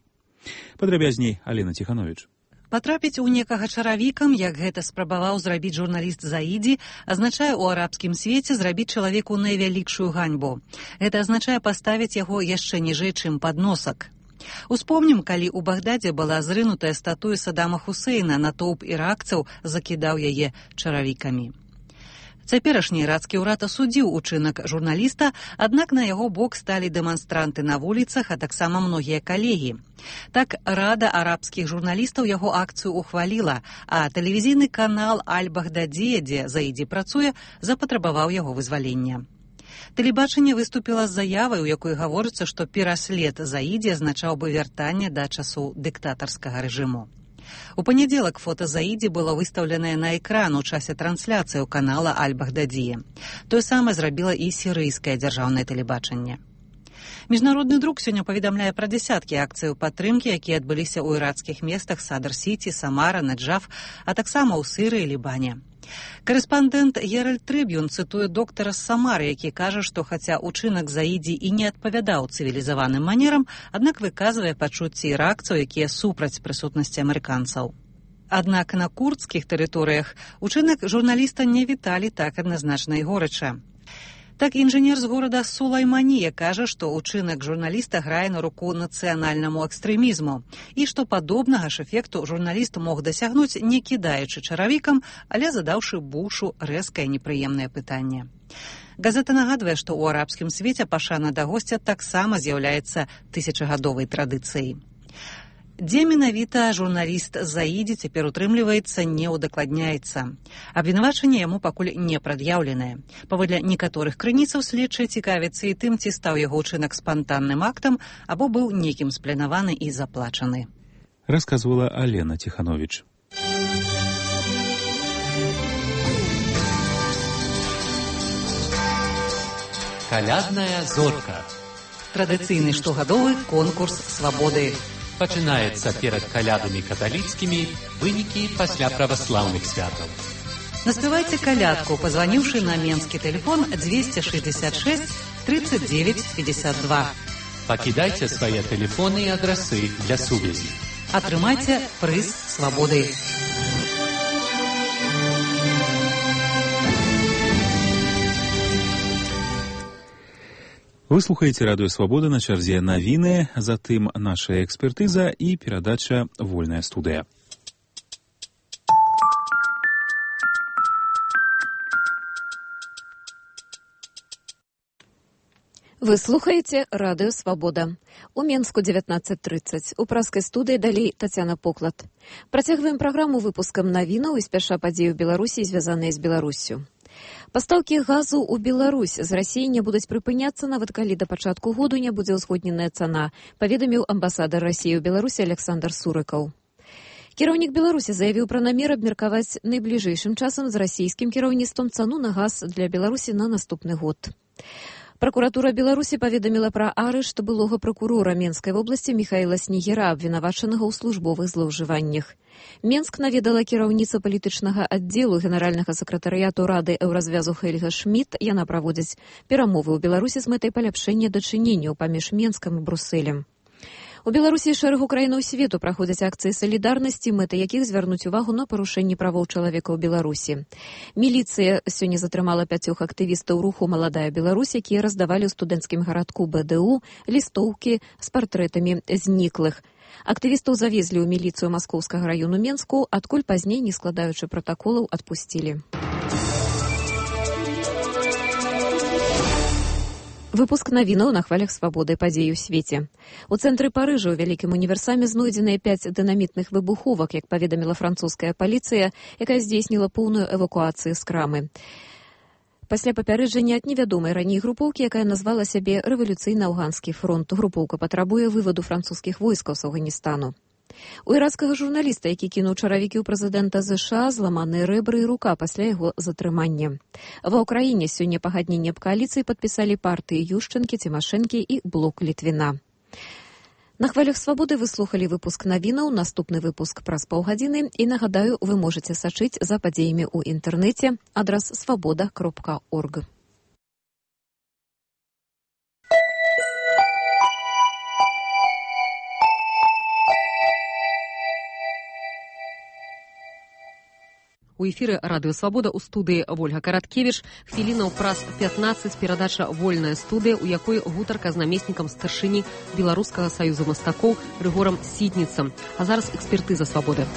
Падрабязней Алена Ціхановіч. Патрапіць у некага чаравікам, як гэта спрабаваў зрабіць журналіст Заіді, азначае ў арабскім свеце зрабіць чалавеку найвялікшую ганьбу. Гэта азначае паставіць яго яшчэ ніжэй, чым падносак. Успомнім, калі ў Багдадзе была зрынутая статуя Саддама Хусейна, натоўп іракцаў закідаў яе чаравікамі. Цяперашні ірацкі ўрад асудзіў учынак журналіста, аднак на яго бок сталі дэманстранты на вуліцах, а таксама многія калегі. Так, Рада арабскіх журналістаў яго акцыю ухваліла, а тэлевізійны канал Аль-Багдадзе, дзе Заіді працуе, запатрабаваў яго вызвалення. Тэлебачанне выступіла з заявай, у якой гаворыцца, што пераслед Заіді азначаў бы вяртанне да часоў дыктатарскага рэжыму. У панядзелак фота Заіді было выстаўленае на экран у часе трансляцыі ў канала Аль-Багдадзе. Тое самае зрабіла і сірыйскае дзяржаўнае тэлебачанне. Міжнародны друк сёння паведамляе пра дзясяткі акцыяў падтрымкі, якія адбыліся ў іракскіх местах Садар-Сіці, Самара, Наджаф, а таксама ў Сырыі і Лібане. Карэспандэнт Геральд Трыб'юн цытуе доктара з Самары, які кажа, што хаця ўчынак Заідзі і не адпавядаў цывілізаваным манерам, аднак выказвае пачуцці іракцаў, якія супраць прысутнасці амерыканцаў. Аднак на курдскіх тэрыторыях учынак журналіста не віталі так адназначна і горача. Так інжынер з горада Сулайманія кажа, што ўчынак журналіста грае на руку нацыянальнаму экстрэмізму і што падобнага ж эфекту журналіст мог дасягнуць, не кідаючы чаравікам, але задаўшы Бушу рэзкае непрыемнае пытанне. Газета нагадвае, што ў арабскім свеце пашана да госця таксама з'яўляецца тысячагадовай традыцыяй. Дзе менавіта журналіст Заідзі цяпер утрымліваецца, не ўдакладняецца. Абвінавачанне яму пакуль не прад'яўленае. Паводле некаторых крыніцаў следчыя цікавяцца і тым, ці стаў яго ўчынак спантанным актам, або быў некім спланаваны і заплачаны. Расказвала Алена Тиханович. Калядная зорка. Традыцыйны штогадовы конкурс свабоды. Пачынаецца перад калядамі каталіцкімі, вынікі пасля праваслаўных святаў. Наспявайце калядку, пазваніўшы на менскі тэлефон дзвесце шэсцьдзесят шэсць тридцать девять пятьдесят два. Пакідайце свае тэлефоны і адрасы для сувязі. Атрымайце прыз свабоды. Вы слухаеце радыё Свабода, на чарзе навіны, затым наша экспертыза і перадача «Вольная студыя». Вы слухаеце радыё Свабода. У Менску дзевятнаццаць трыццаць. У праскай студыі далей Тацяна Поклад. Працягваем праграму выпускам навінаў і спяша падзеі ў Беларусі, звязаныя з Беларуссю. Пастаўкі газу ў Беларусь з Расіі не будуць прыпыняцца, нават калі да пачатку году не будзе ўзгодненая цана, паведаміў амбасадар Расіі ў Беларусі Александр Сурыкаў. Кіраўнік Беларусі заявіў пра намер абмеркаваць найбліжэйшым часам з расійскім кіраўніцтвам цану на газ для Беларусі на наступны год. Пракуратура Беларусі паведаміла пра арышт былога пракурора Менскай вобласці Міхаіла Снегіра, абвінавачанага ў службовых злоўжываннях. Менск наведала кіраўніца палітычнага аддзелу генеральнага сакратарыяту Рады Еўразвязу Хельга Шмідт. Яна праводзіць перамовы ў Беларусі з мэтай паляпшэння дачыненняў паміж Менскам і Брусэлем. У Беларусі шэрагу краінаў свету праходзяць акцыі салідарнасці, мэтай якіх звярнуць увагу на парушэнні правоў чалавека ў Беларусі. Міліцыя сёння затрымала пяцёх актывістаў руху «Маладая Беларусь», якія раздавалі ў студэнцкім гарадку Бэ Дэ У лістоўкі з партрэтамі зніклых. Актывістаў завезлі ў міліцыю Маскоўскага раёну Менску, адкуль пазней, не складаючы пратаколаў, адпусцілі. Выпуск навінаў на хвалях свабоды, падзеі ў свеце. У цэнтры Парыжа ў вялікім універсаме знойдзеныя пяць дынамітных выбуховак, як паведаміла французская паліцыя, якая здзейсніла поўную эвакуацыю з крамы. Пасля папярэджання ад невядомай раней групоўкі, якая назвала сябе рэвалюцыйна-афганскі фронт, групоўка патрабуе вываду французскіх войскаў з Афганістану. У ірацкага журналіста, які кінуў чаравікі ў прэзідэнта ЗША, зламаныя рэбры і рука пасля яго затрымання. Ва ўкраіне сёння пагадненне аб кааліцыі падпісалі партыі Юшчэнкі, Цімашэнкі і Блок Літвіна. На хвалях свабоды вы слухалі выпуск навінаў, наступны выпуск праз паўгадзіны, і нагадаю, вы можаце сачыць за падзеямі ў інтэрнэце, адрас свабода кропка орг. У эфіры радыё Свабода, у студыі Вольга Караткевіч. Хвілінаў праз пятнаццаць перадача «Вольная студыя», у якой гутарка з намеснікам старшыні Беларускага саюза мастакоў Рыгорам Сітніцам. А зараз экспертыза Свабоды.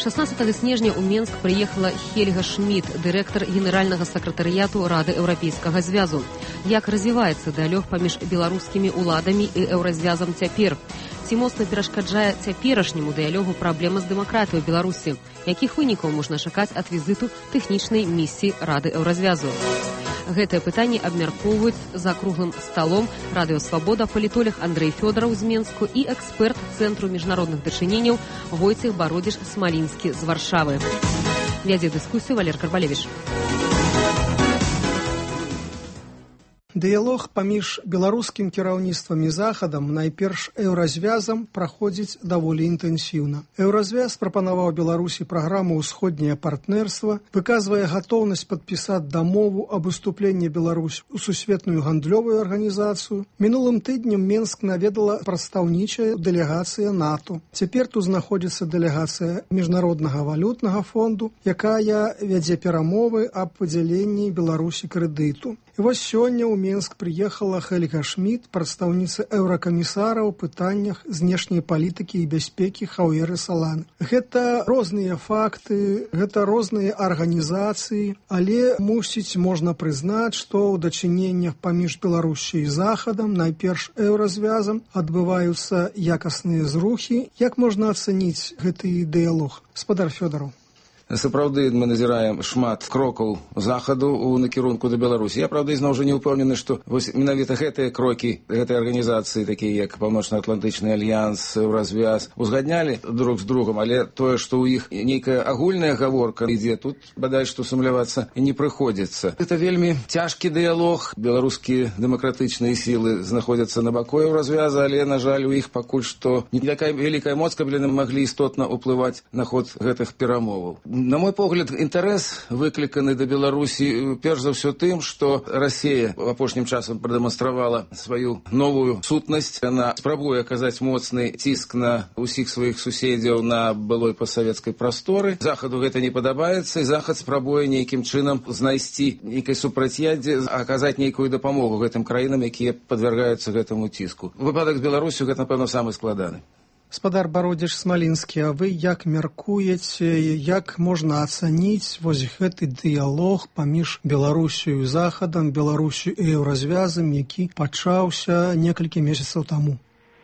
шаснаццатага снежня ў Менск прыехала Хельга Шмідт, дырэктар генеральнага сакратарыяту Рады Еўрапейскага звязу. Як развіваецца дыялог паміж беларускімі ўладамі і Еўразвязам цяпер? Ці моцна перашкаджае цяперашняму дыялогу праблема з дэмакратыяй у Беларусі? Якіх вынікаў можна чакаць ад візіту тэхнічнай місіі Рады Еўразвязу? Гэтае пытанне абмяркоўваюць за круглым сталом радыё Свабода палітолог Андрэй Фёдараў з Менску і эксперт Цэнтру міжнародных дачыненняў Войцех Бародзіш-Смалінскі з Варшавы. Вядзе дыскусію Валер Карбалевіч. Дыялог паміж беларускім кіраўніцтвам і захадам, найперш еўразвязам, праходзіць даволі інтэнсіўна. Еўразвяз прапанаваў Беларусі праграму «Усходняе партнерства», выказвае гатоўнасць падпісаць дамову аб уступленні Беларусі ў сусветную гандлёвую арганізацыю. Мінулым тыднем Менск наведала прадстаўнічая дэлегацыя НАТО. Цяпер тут знаходзіцца дэлегацыя Міжнароднага валютнага фонду, якая вядзе перамовы аб выдзяленні Беларусі крэдыту. І вось сёння ў Менск прыехала Хельга Шмід, прадстаўніца еўракамісара ў пытаннях знешняй палітыкі і бяспекі Хаўеры Саланы. Гэта розныя факты, гэта розныя арганізацыі, але, мусіць, можна прызнаць, што ў дачыненнях паміж Беларусю і Захадам, найперш еўразвязам, адбываюцца якасныя зрухі. Як можна ацаніць гэты дыялог? Спадар Фёдараў. Сапраўды мы назіраем шмат крокаў захаду ў накірунку да Беларусі. Я, правда, ізноў жа не ўпэўнены, што вось менавіта гэтыя крокі гэтай арганізацыі, такія як Паўночна-Атлантычны альянс, Еўразвяз, узгаднялі друг з другом, але тое, што ў іх нейкая агульная гаворка ідзе, тут бадай што сумлявацца і не прыходзіцца. Гэта вельмі цяжкі дыялог. Беларускія дэмакратычныя сілы знаходзяцца на баку Еўразвяза, але, на жаль, у іх пакуль што не такая вялікая моц, каб яны маглі істотна ўплываць на ход гэтых перамоваў. На мой погляд, інтарэс выкліканы да Беларусі перш за ўсё тым, што Расія апошнім часам прадэманстравала сваю новую сутнасць. Яна спрабуе аказаць моцны ціск на ўсіх сваіх суседзяў на былой пасавецкай прасторы. Захаду гэта не падабаецца, і Захад спрабуе нейкім чынам знайсці нейкай супрацьяддзе, аказаць нейкую дапамогу гэтым краінам, якія падвяргаюцца гэтаму ціску. Выпадак з Беларусю гэта, напэўна, самы складаны. Спадар Бародзіч Смалінскі, а вы як мяркуеце, як можна ацаніць вось гэты дыялог паміж Беларусю і Захадам, Беларусю і еўразвязам, які пачаўся некалькі месяцаў таму?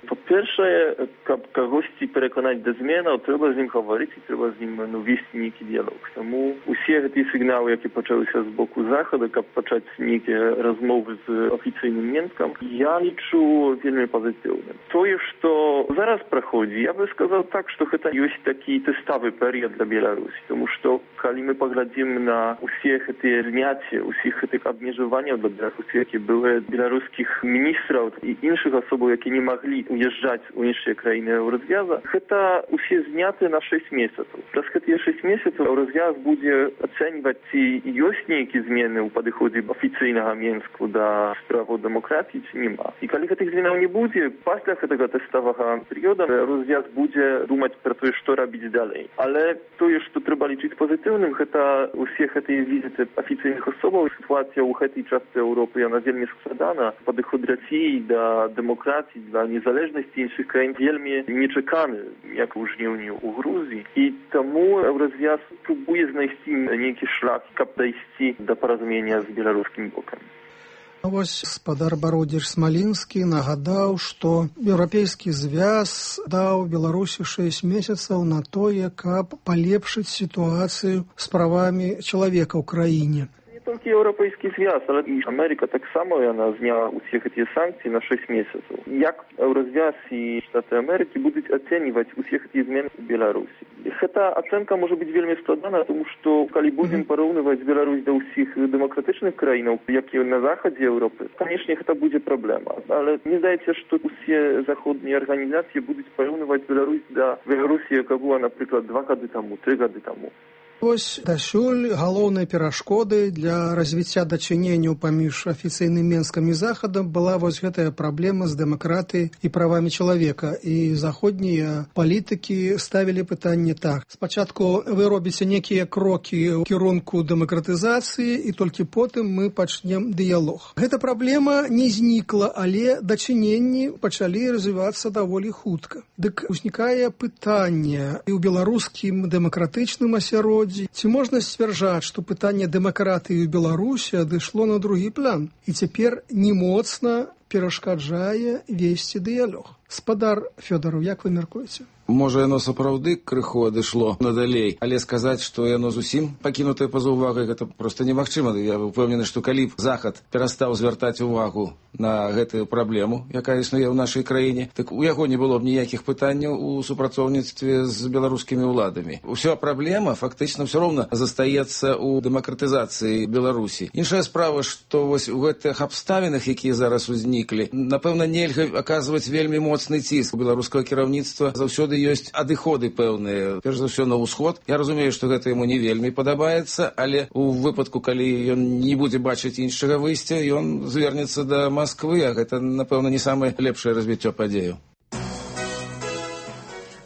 По-перше, каб кагосьці пераканаць да зменаў, трэба з ім гаварыць і трэба з ім ну, весці нейкі дыялог. Таму усе гэтыя сігналы, які пачаліся з боку Захада, каб пачаць нейкія размовы з афіцыйным Менскам, я лічу вельмі пазітыўным. Тое, што зараз праходзі, я бы сказаў так, што гэта ёсць такі тэставы перыяд для Беларусі, тому што калі мы паглядзім на усе гэтыя зняцці, усіх гэтых абмежаванняў для Беларусі, які былі беларускіх міністраў і іншых асобаў, які не маглі уязджаць у іншыя краіны Еўразвяза, гэта усе зняты на шэсць месяцаў. Праз гэтыя шэсць месяцаў Еўразвяз будзе ацэньваць, ці ёсць нейкія змены ў падыходзе афіцыйнага Менску да справаў дэмакратыі, ці няма. І калі гэтых зменаў не будзе, пасля гэтага тэставага перыяда Еўразвяз будзе думаць пра тое, што рабіць далей. Але тое, што трэба лічыць пазітыўным, гэта усе гэтыя візіты афіцыйных асобаў. Сітуацыя ў гэтай частцы Еўропы, яна вельмі складана. Падыход Расіі да дэмакратыі, да незалежнасці іншых краін вельмі нечаканы, як у жніўні ў Грузіі. І таму Еўразвяз спрабуе знайсці нейкі шлях, каб дайсці да паразумення з беларускім бокам. Вось спадар Бародзіч Смалінскі нагадаў, што Еўрапейскі звяз даў Беларусі шэсць месяцаў на тое, каб палепшыць сітуацыю з правамі чалавека ў краіне. Толькі Еўрапейскі звяз, але і Амерыка таксама яна зняла усе гэтыя санкцыі на шэсць месяцаў. Як Еўразвяз і Штаты Амерыкі будуць ацэньваць усе гэтыя змены ў Беларусі? Гэта ацэнка можа быць вельмі складана, тому што калі будзем параўнываць Беларусь да ўсіх дэмакратычных краінаў, які на захадзе Еўропы, канешне, гэта будзе праблема. Але мне здаецца, што усе заходнія арганізацыі будуць параўнываць Беларусь да Беларусі, яка була, напрыклад, два гады таму, тры гады таму. Вось дасюль галоўнай перашкодай для развіцця дачыненняў паміж афіцыйным Менскам і Захадам была вось гэтая праблема з дэмакратыяй і правамі чалавека. І заходнія палітыкі ставілі пытанне так. Спачатку вы робіце некія крокі ў кірунку дэмакратызацыі, і толькі потым мы пачнем дыялог. Гэта праблема не знікла, але дачыненні пачалі развівацца даволі хутка. Дык узнікае пытанне і ў беларускім дэмакратычным асяроддзі. Ці можна сцвярджаць, што пытанне дэмакратыі ў Беларусі адышло на другі план і цяпер не моцна перашкаджае весці дыялог? Спадар Фёдараў, як вы мяркуеце? Можа, яно сапраўды крыху адышло надалей, але сказаць, што яно зусім пакінутае па-за ўвагай, гэта проста немагчыма. Я упэўнены, што калі б Захад перастаў звяртаць увагу на гэтую праблему, якая існуе ў нашай краіне, так у яго не было б ніякіх пытанняў у супрацоўніцтве з беларускімі ўладамі. Уся праблема фактычна ўсё роўна застаецца ў дэмакратызацыі Беларусі. Іншая справа, што вось у гэтых абставінах, якія зараз узніклі, напэўна, нельга аказваць вельмі моцны ціск. У беларускага кіраўніцтва заўсёды ёсць адыходы пэўныя, перш за ўсё на ўсход. Я разумею, што гэта яму не вельмі падабаецца, але у выпадку, калі ён не будзе бачыць іншага выйсця, ён звернецца да Масквы, а гэта, напэўна, не самае лепшае развіццё падзеяў.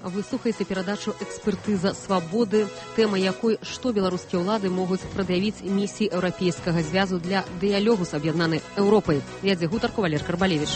Вы слухаеце перадачу «Экспертыза свабоды», тэма якой «Што беларускія ўлады могуць прад'явіць місіі Еўрапейскага звязу для дыялогу з аб'яднанай Еўропай». Вядзе гутарку Валер Карбалевіч.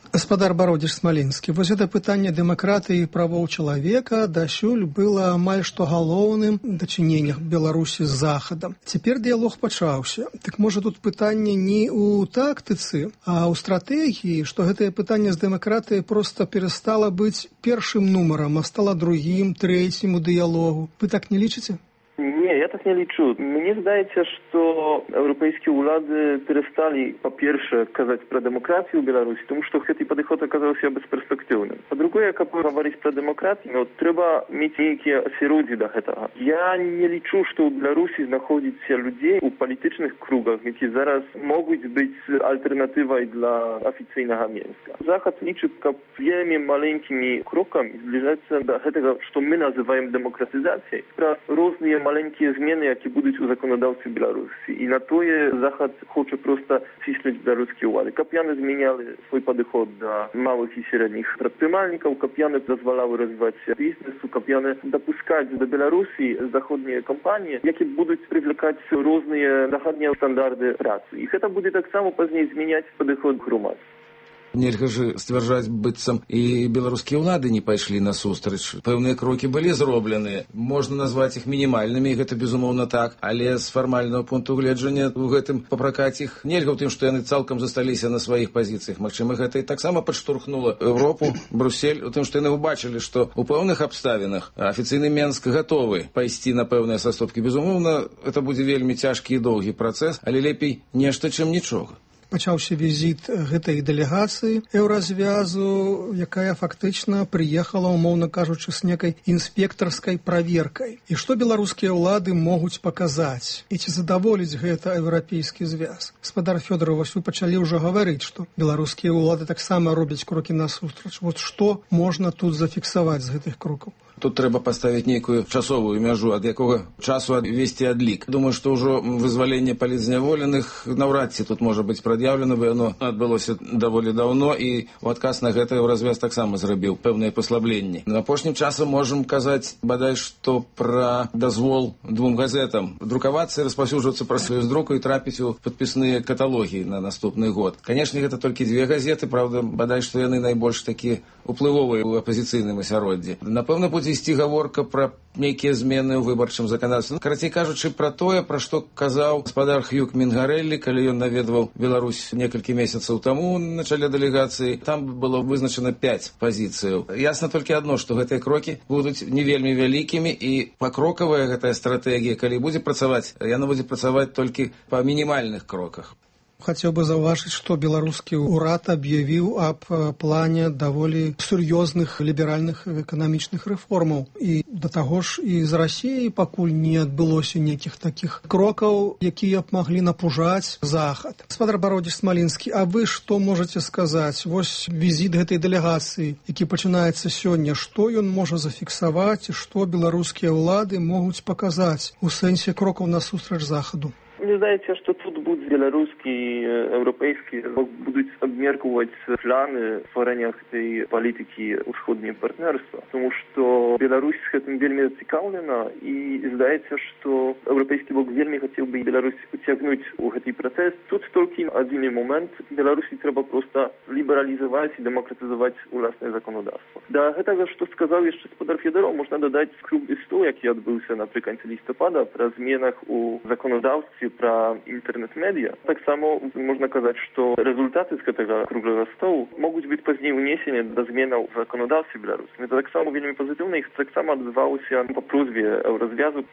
Гаспадар Бародзіч Смалінскі, вось гэта пытанне дэмакратыі і правоў чалавека дасюль было амаль што галоўным дачыненнях Беларусі з Захадам. Цяпер дыялог пачаўся. Так можа тут пытанне не ў тактыцы, а ў стратэгіі, што гэтае пытанне з дэмакратыяй проста перастала быць першым нумарам, а стала другім, трэцім у дыялогу. Вы так не лічыце? Nie, ja tak nie liczę. Mnie zdaje się, że europejskie władze przestali po pierwsze kazać pro demokrację w Białorusi, тому что этот подход оказался бесперспективным. Po drugie, jak говорить про демократию, no, trzeba mieć jakieś осеродие do tego. Ja nie liczę, że w Białorusi znajduje się ludzi w politycznych krugach, którzy zaraz mogą być alternatywą dla oficjalnego Mińska. Zachód liczy wielmi maleńkimi krokami zbliżać się do tego, co my nazywamy demokratyzacją. Różne maleńkie zmiany, jakie będą u zakonodawcy Białorusi. I na to je Zachód chce prosto cisnąć białoruskie władze. Kapiany zmieniali swój podchod do małych i średnich przedsiębiorców, kapiany pozwalały rozwijać się biznesu, kapiany dopuszczać do Białorusi zachodnie kompanie, jakie będą przywlekać różne zachodnie standardy pracy. I to będzie tak samo później zmieniać podchod gromadztwa. Нельга ж сцвярджаць, быццам і беларускія ўлады не пайшлі насустрач. Пэўныя крокі былі зробленыя. Можна назваць іх мінімальнымі, гэта безумоўна так, але з фармальнага пункту гледжання у гэтым папракаць іх нельга ў тым, што яны цалкам засталіся на сваіх пазіцыях. Магчыма, гэта і таксама падштурхнула Еўропу, Брюссель, у тым, што яны ўбачылі, што ў пэўных абставінах афіцыйны Менск гатовы пайсці на пэўныя саступкі. Безумоўна, гэта будзе вельмі цяжкі і доўгі працэс, але лепей нешта, чым нічога. Пачаўся візіт гэтай дэлегацыі Еўразвязу, якая фактычна прыехала, умоўна кажучы, з некай інспектарскай праверкай. І што беларускія ўлады могуць паказаць? І ці задаволіць гэта еўрапейскі звяз? Гаспадар Фёдоров, вось вы пачалі ўжо гаварыць, што беларускія ўлады таксама робяць крокі насустрач. Вот што можна тут зафіксаваць з гэтых крокаў? Тут трэба паставіць нейкую часовую мяжу, ад якога часу весці адлік. Думаю, што ўжо вызваленне палітзняволеных наўрад ці тут можа быць прад'яўлена, бо яно адбылося даволі даўно, і ў адказ на гэта Еўразвяз таксама зрабіў пэўныя паслабленні. На апошнім часам можам казаць, бадай, што пра дазвол двум газетам друкавацца і распаўсюджвацца праз сваю здруку і трапіць у падпісныя каталогі на наступны год. Канешне, гэта толькі дзве газеты, правда, бадай, што яны найбольш такі уплывовыя ў апазіцыйным асяроддзі. Напэўна, будзе ісці гаворка пра нейкія змены ў выбарчым заканадаўстве. Карацей кажучы, пра тое, пра што казаў гаспадар Хьюг Мінгарэллі, калі ён наведваў Беларусь некалькі месяцаў таму на чале дэлегацыі. Там было вызначана пяць пазіцыяў. Ясна толькі адно, што гэтыя крокі будуць не вельмі вялікімі, і пакрокавая гэтая стратэгія, калі будзе працаваць, яна будзе працаваць толькі па мінімальных кроках. Хацеў бы заўважыць, што беларускі ўрад аб'явіў аб плане даволі сур'ёзных ліберальных эканамічных рэформаў. І да таго ж і з Расіяй пакуль не адбылося нейкіх такіх крокаў, якія б маглі напужаць Захад. Гаспадар Бародзіч Смалінскі, а вы што можаце сказаць? Вось візіт гэтай дэлегацыі, які пачынаецца сёння, што ён можа зафіксаваць і што беларускія ўлады могуць паказаць у сэнсе крокаў насустрач Захаду? Мне здається, що тут будуть білоруські, європейські, будуть обміркувати плани створення цієї політики усходнього партнерства. Тому що Білорусь з цим вельми зацікавлена, і здається, що європейський блок вельми хотів би Білорусь потягнути у цей процес. Тут тільки один момент. Білорусі треба просто лібералізувати і демократизувати власне законодавство. До того, що сказав ще гаспадар Федоров, можна додати круглий стол, який відбувся наприкінці листопада, про змінах у законодавстві, про інтернет media. Tak samo można kazać, że rezultaty z tego kruglego stołu mogą być później uniesione do zmian w zakonodawstwie białoruskim. To tak samo wielmi pozytywne i tak samo odbywało się po próbie Eurozwiązku.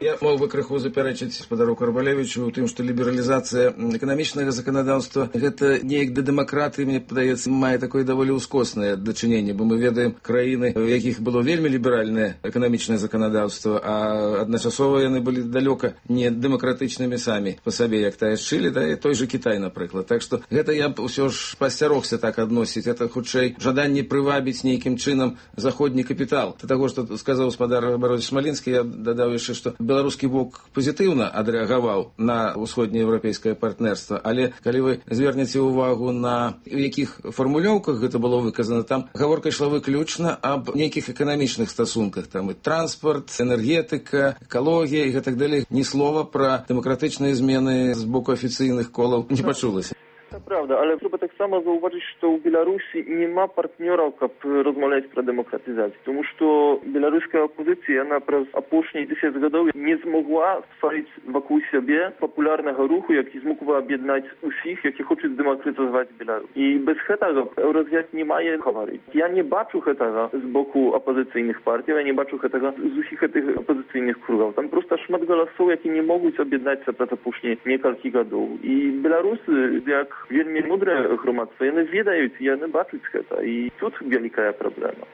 Я мог бы крыху заперечыць гаспадару Карбалевічу ў тым, што лібералізацыя эканамічнага заканадаўства гэта неяк да дэмакратыі, мне падаецца, мае такое даволі ўскоснае дачыненне, бо мы ведаем краіны, у якіх было вельмі ліберальнае эканамічнае заканадаўства, а адначасова яны былі далёка не дэмакратычнымі самі па сабе, як тая з Чылі, да і той жа Кітай, напрыклад. Так што гэта я б усё ж пасцярогся так адносіць. Гэта хутчэй жаданне прывабіць нейкім чынам заходні капітал. Да таго, што сказаў гаспадар Бародзіч Смалінскі, я дадаў яшчэ, што беларускі бок пазітыўна адрэагаваў на ўсходнееўрапейскае партнерства, але калі вы звернеце ўвагу на якіх фармулёўках гэта было выказана, там гаворка ішла выключна аб нейкіх эканамічных стасунках, там і транспарт, энергетыка, экалогія і гэтак далей. Ні слова пра дэмакратычныя змены з боку афіцыйных колаў не пачулася. To prawda, ale trzeba tak samo zauważyć, że w Białorusi nie ma partnerów, aby rozmawiać o demokratyzacji. Потому что белорусская оппозиция, она przez опошние десять годов не смогла створить вокруг себя популярного руху, який змог бы объединять усіх, які хочуть демократизувати Білорусь. І без этого Еврозв'яз не має говорити. Я не бачу этого з боку опозиційних партій, я не бачу этого з усіх цих опозиційних кругів. Там просто шмат голосів, які не можуть об'єднатися przez опошние несколько годов. І білоруси, як вельми мудре громадство, яны ведаюць, яны бачуць гэта. І тут вялікая праблема.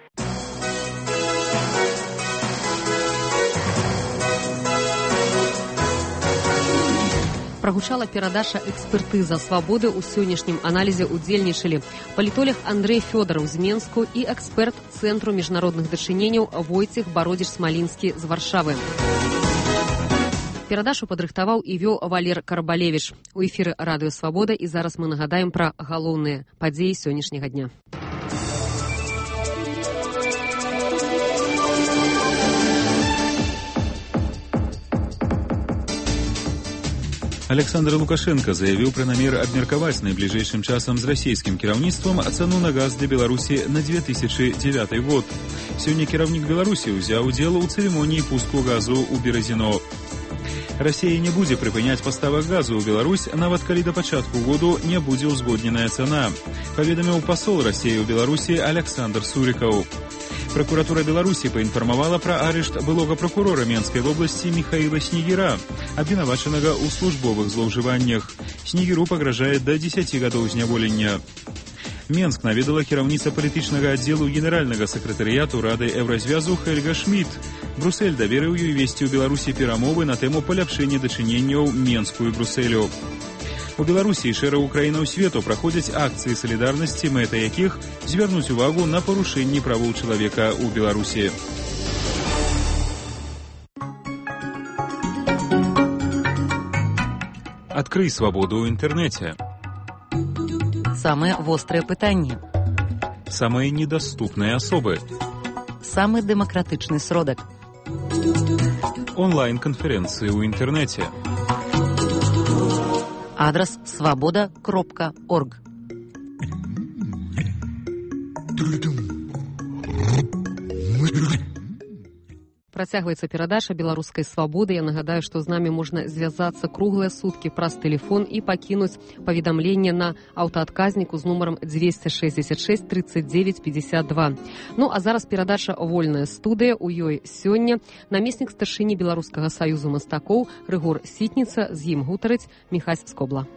Прогучала перадача экспертыза свабоды. У сённяшнім аналізе удзельнічалі палітолог Андрэй Фёдараў з Менску і эксперт Цэнтру міжнародных дачыненняў Войцех Бародзіч-Смалінскі з Варшавы. Перадачу падрыхтаваў і вёў Валер Карбалевіч. У эфіры Радыё Свабода, і зараз мы нагадаем пра галоўныя падзеі сённяшняга дня. Александр Лукашенко заявіў пра намер абмеркаваць найбліжэйшым часам з расійскім кіраўніцтвам цану на газ для Беларусі на две тысячи девятый год. Сёння кіраўнік Беларусі ўзяў удзел у цырымоніі пуску газу ў Беразіно. Расія не будзе прыпыняць паставак газу ў Беларусь, нават калі да пачатку году не будзе ўзгодненая цана, паведаміў пасол Расіі ў Беларусі Александр Сурікаў. Прокуратура Беларусі паінфармавала пра арышт былога прокурора Менскай вобласці Михаила Снегіра, абвінавачанага ў службовых злоўжываннях. Снегіру пагражае да дзесяці гадоў зняволення. Менск наведала кіраўніца палітычнага аддзелу генеральнага сакратарыяту Рады Еўразвязу Хельга Шмідт. Брюссель даверыў ёй весці ў Беларусі перамовы на тэму паляпшэння дачыненняў Менску і Брюсселю. У Беларусі і шэрагу краінаў свету праходзяць акцыі салідарнасці, мэта якіх звярнуць увагу на парушэнні правоў чалавека ў Беларусі. Адкрый свабоду ў інтэрнэце. Самыя вострыя пытанні. Самыя недаступныя асобы. Самы дэмакратычны сродак. Онлайн-канферэнцыі ў інтэрнэце. Адрас свабода кропка орг. Працягваецца перадача беларускай свабоды. Я нагадаю, што з намі можна звязацца круглыя суткі праз тэлефон і пакінуць паведамленне на аўтаадказніку з нумарам двести шестьдесят шесть тридцать девять пятьдесят два. Ну, а зараз перадача «Вольная студыя». У ёй сёння намеснік старшыні Беларускага саюзу мастакоў Рыгор Сітніца, з ім гутарыць Міхась Скобла.